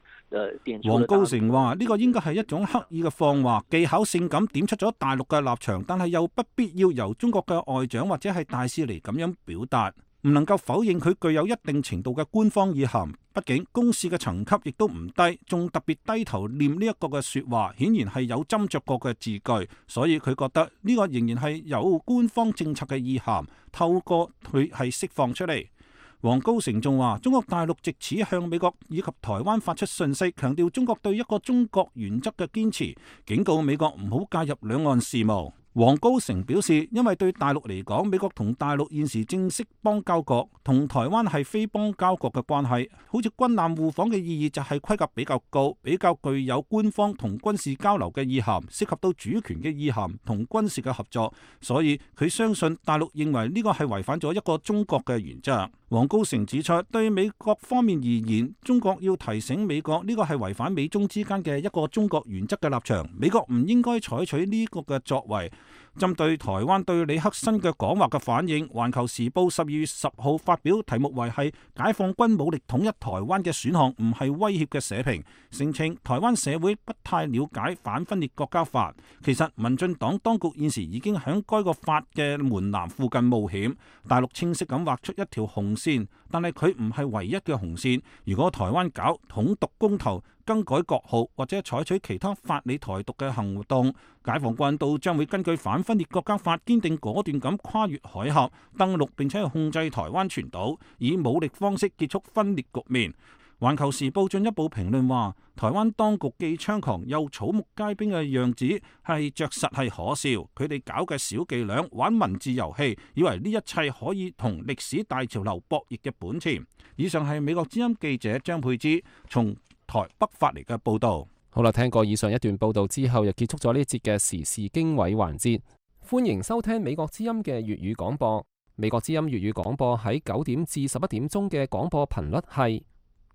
點出。黃高成話呢個應該係一種刻意嘅放話，技巧性咁點出咗大陸嘅立場，但係又不必要由中國嘅外長或者係大使嚟咁樣表達。唔能夠否認佢具有一定程度嘅官方意涵，畢竟公使嘅層級亦都唔低，仲特別低頭念呢一個嘅說話，顯然係有斟酌過嘅字句，所以佢覺得呢個仍然係有官方政策嘅意涵，透過佢係釋放出嚟。黃高成仲話，中國大陸藉此向美國以及台灣發出訊息，強調中國對一個中國原則嘅堅持，警告美國唔好介入兩岸事務。黃高成表示，因為對大陸嚟講，美國同大陸現時正式邦交國，同台灣係非邦交國嘅關係，好似軍艦互訪嘅意義就係規格比較高，比較具有官方同軍事交流嘅意涵，涉及到主權嘅意涵同軍事嘅合作，所以佢相信大陸認為呢個係違反咗一個中國嘅原則。黃高成指出，對美國方面而言，中國要提醒美國呢個係違反美中之間嘅一個中國原則嘅立場，美國唔應該採取呢個嘅作為。針對台灣對李克新嘅講話嘅反應，《環球時報》12月10號發表題目為係解放軍武力統一台灣嘅選項唔係威脅嘅社評，聲稱台灣社會不太了解反分裂國家法。其實民進黨當局現時已經喺該個法嘅門檻附近冒險，大陸清晰咁畫出一條紅線，但係佢唔係唯一嘅紅線。如果台灣搞統獨公投、更改國號或者採取其他法理台獨嘅行動，解放軍都將會根據反分裂國家法堅定果斷咁跨越海峽登陸，並且控制台灣全島，以武力方式結束分裂局面。環球時報進一步評論話，台灣當局既猖狂又草木皆兵嘅樣子係着實係可笑，佢哋搞嘅小伎倆玩文字遊戲，以為呢一切可以同歷史大潮流博弈嘅本錢。以上係美國之音記者張佩芝從台北發嚟嘅報道。好啦，聽過以上一段報道之後，又結束咗呢一節嘅時事經緯環節。歡迎收聽美國之音嘅粵語廣播。美國之音粵語廣播喺9點至11點鐘嘅廣播頻率係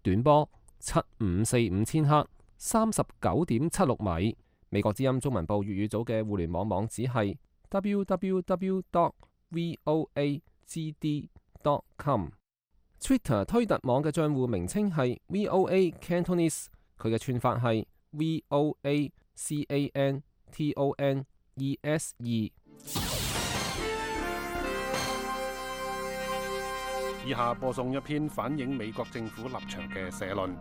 短波7545千赫39.76米。美國之音中文部粵語組嘅互聯網網址係 www.voagd.com。Twitter 推特網嘅帳戶名稱係 VOA Cantonese， 佢嘅串法係 VOACANTONESE。以下播送一篇反映美國政府立場嘅社論。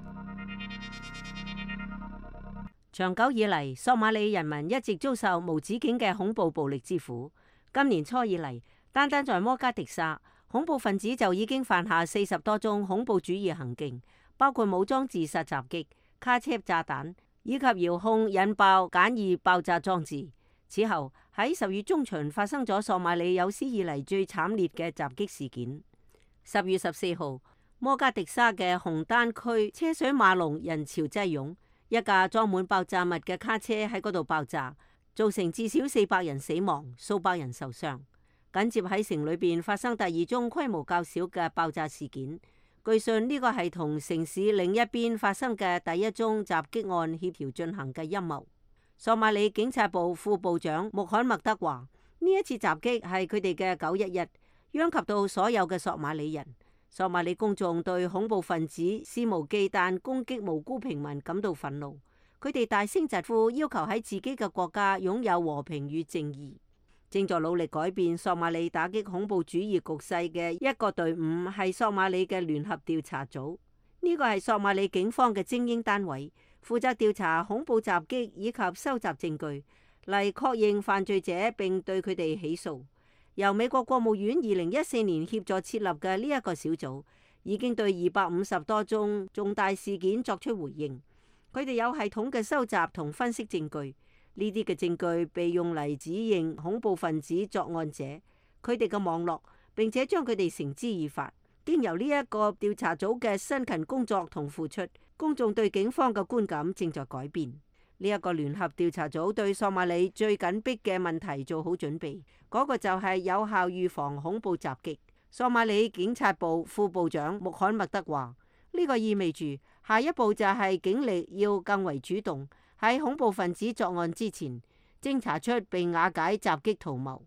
長久以嚟，索馬里人民一直遭受無止境嘅恐怖暴力之苦。今年初以嚟，單單在摩加迪沙，恐怖分子就已經犯下40多宗恐怖主義行徑，包括武裝自殺襲擊、卡車炸彈以及遙控引爆簡易爆炸裝置。此後喺10月中旬發生咗索馬里有史以嚟最慘烈嘅襲擊事件。10月14號，摩加迪沙嘅紅丹區車水馬龍，人潮擠擁，一架裝滿爆炸物嘅卡車喺嗰度爆炸，造成至少400人死亡，數百人受傷。緊接喺城裏邊發生第2宗規模較小嘅爆炸事件，據信呢個係同城市另一邊發生嘅第1宗襲擊案協調進行嘅陰謀。索馬里警察部副部長穆罕默德話：呢一次襲擊係佢哋嘅911。殃及到所有嘅索馬里人。索馬里公眾對恐怖分子肆無忌憚攻擊無辜平民感到憤怒，佢哋大聲疾呼，要求喺自己嘅國家擁有和平與正義。正在努力改變索馬里打擊恐怖主義局勢嘅一個隊伍係索馬里嘅聯合調查組，呢個係索馬里警方嘅精英單位，負責調查恐怖襲擊以及收集證據嚟確認犯罪者並對佢哋起訴。由美國國務院2014年協助設立嘅呢一個小組，已經對250多宗重大事件作出回應。佢哋有系統嘅收集同分析證據，呢啲嘅證據被用嚟指認恐怖分子作案者，佢哋嘅網絡，並且將佢哋繩之以法。經由呢一個調查組嘅辛勤工作同付出，公眾對警方嘅觀感正在改變。呢一個聯合調查組對索馬里最緊迫嘅問題做好準備，嗰個就係有效預防恐怖襲擊。索馬里警察部副部長穆罕默德話：呢個意味住下一步就係警力要更為主動，喺恐怖分子作案之前偵查出並瓦解襲擊圖謀。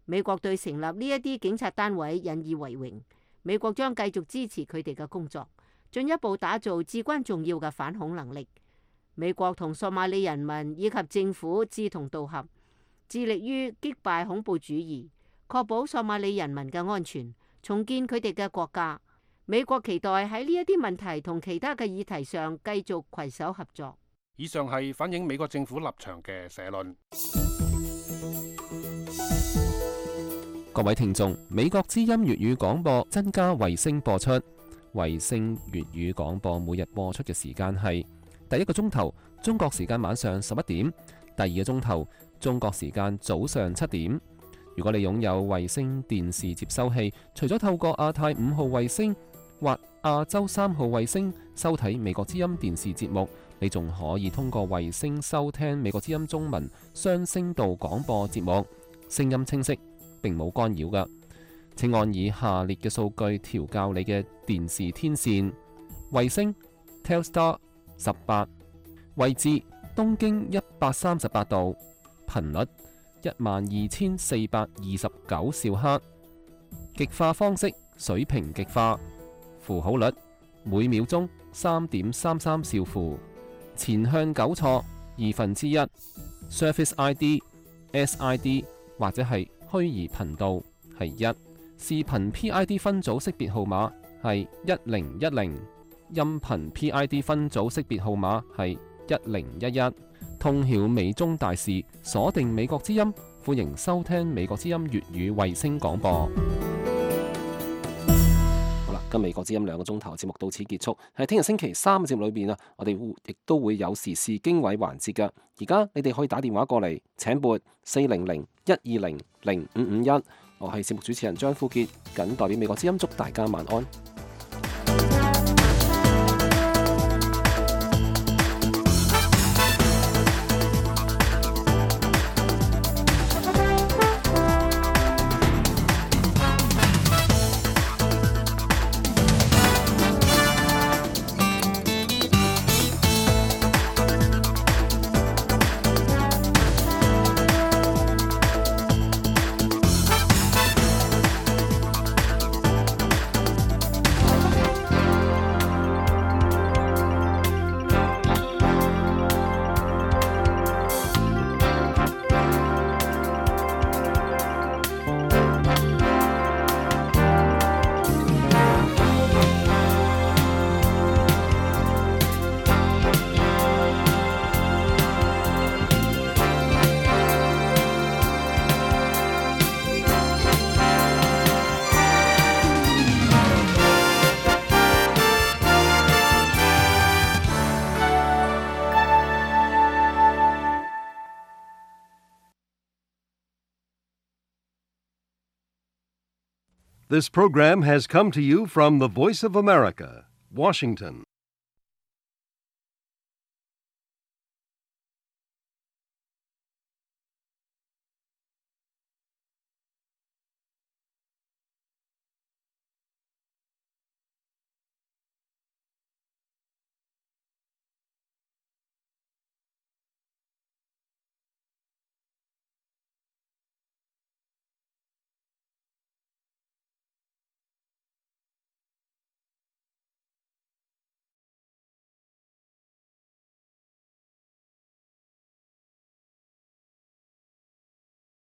美國對成立呢一啲警察單位引以為榮，美國將繼續支持佢哋嘅工作，進一步打造至關重要嘅反恐能力。美國同索馬里人民以及政府志同道合，致力於擊敗恐怖主義，確保索馬里人民嘅安全，重建佢哋嘅國家。美國期待喺呢一啲問題同其他嘅議題上繼續攜手合作。以上係反映美國政府立場嘅社論。各位聽眾，美國之音粵語廣播增加衛星播出，衛星粵語廣播每日播出嘅時間係第1個鐘頭中國時間晚上11點，第2個鐘頭中國時間早上7點。如果你擁有衛星電視接收器，除咗透過亞太5號衛星或亞洲3號衛星收睇美國之音電視節目，你仲可以通過衛星收聽美國之音中文雙聲道廣播節目，聲音清晰，並冇干擾㗎。請按以下列嘅數據調校你嘅電視天線：衛星 Telstar 18，位置東經138度，頻率12429兆赫，極化方式水平極化，符號率每秒鐘3.33兆符，前向糾錯1/2， Surface ID、SID 或者係虛擬頻道係1，視頻 PID 分組識別號碼係1010，音頻 PID 分組識別號碼係1011，通曉美中大事，鎖定美國之音，歡迎收聽美國之音粵語衛星廣播。好啦，今美國之音2個鐘頭節目到此結束。喺聽日星期3嘅節目裏邊啊，我哋亦都會有時事經緯環節噶。而家你哋可以打電話過嚟，請撥400-120-0551。我係節目主持人張富傑，謹代表美國之音祝大家晚安。This program has come to you from the Voice of America, Washington.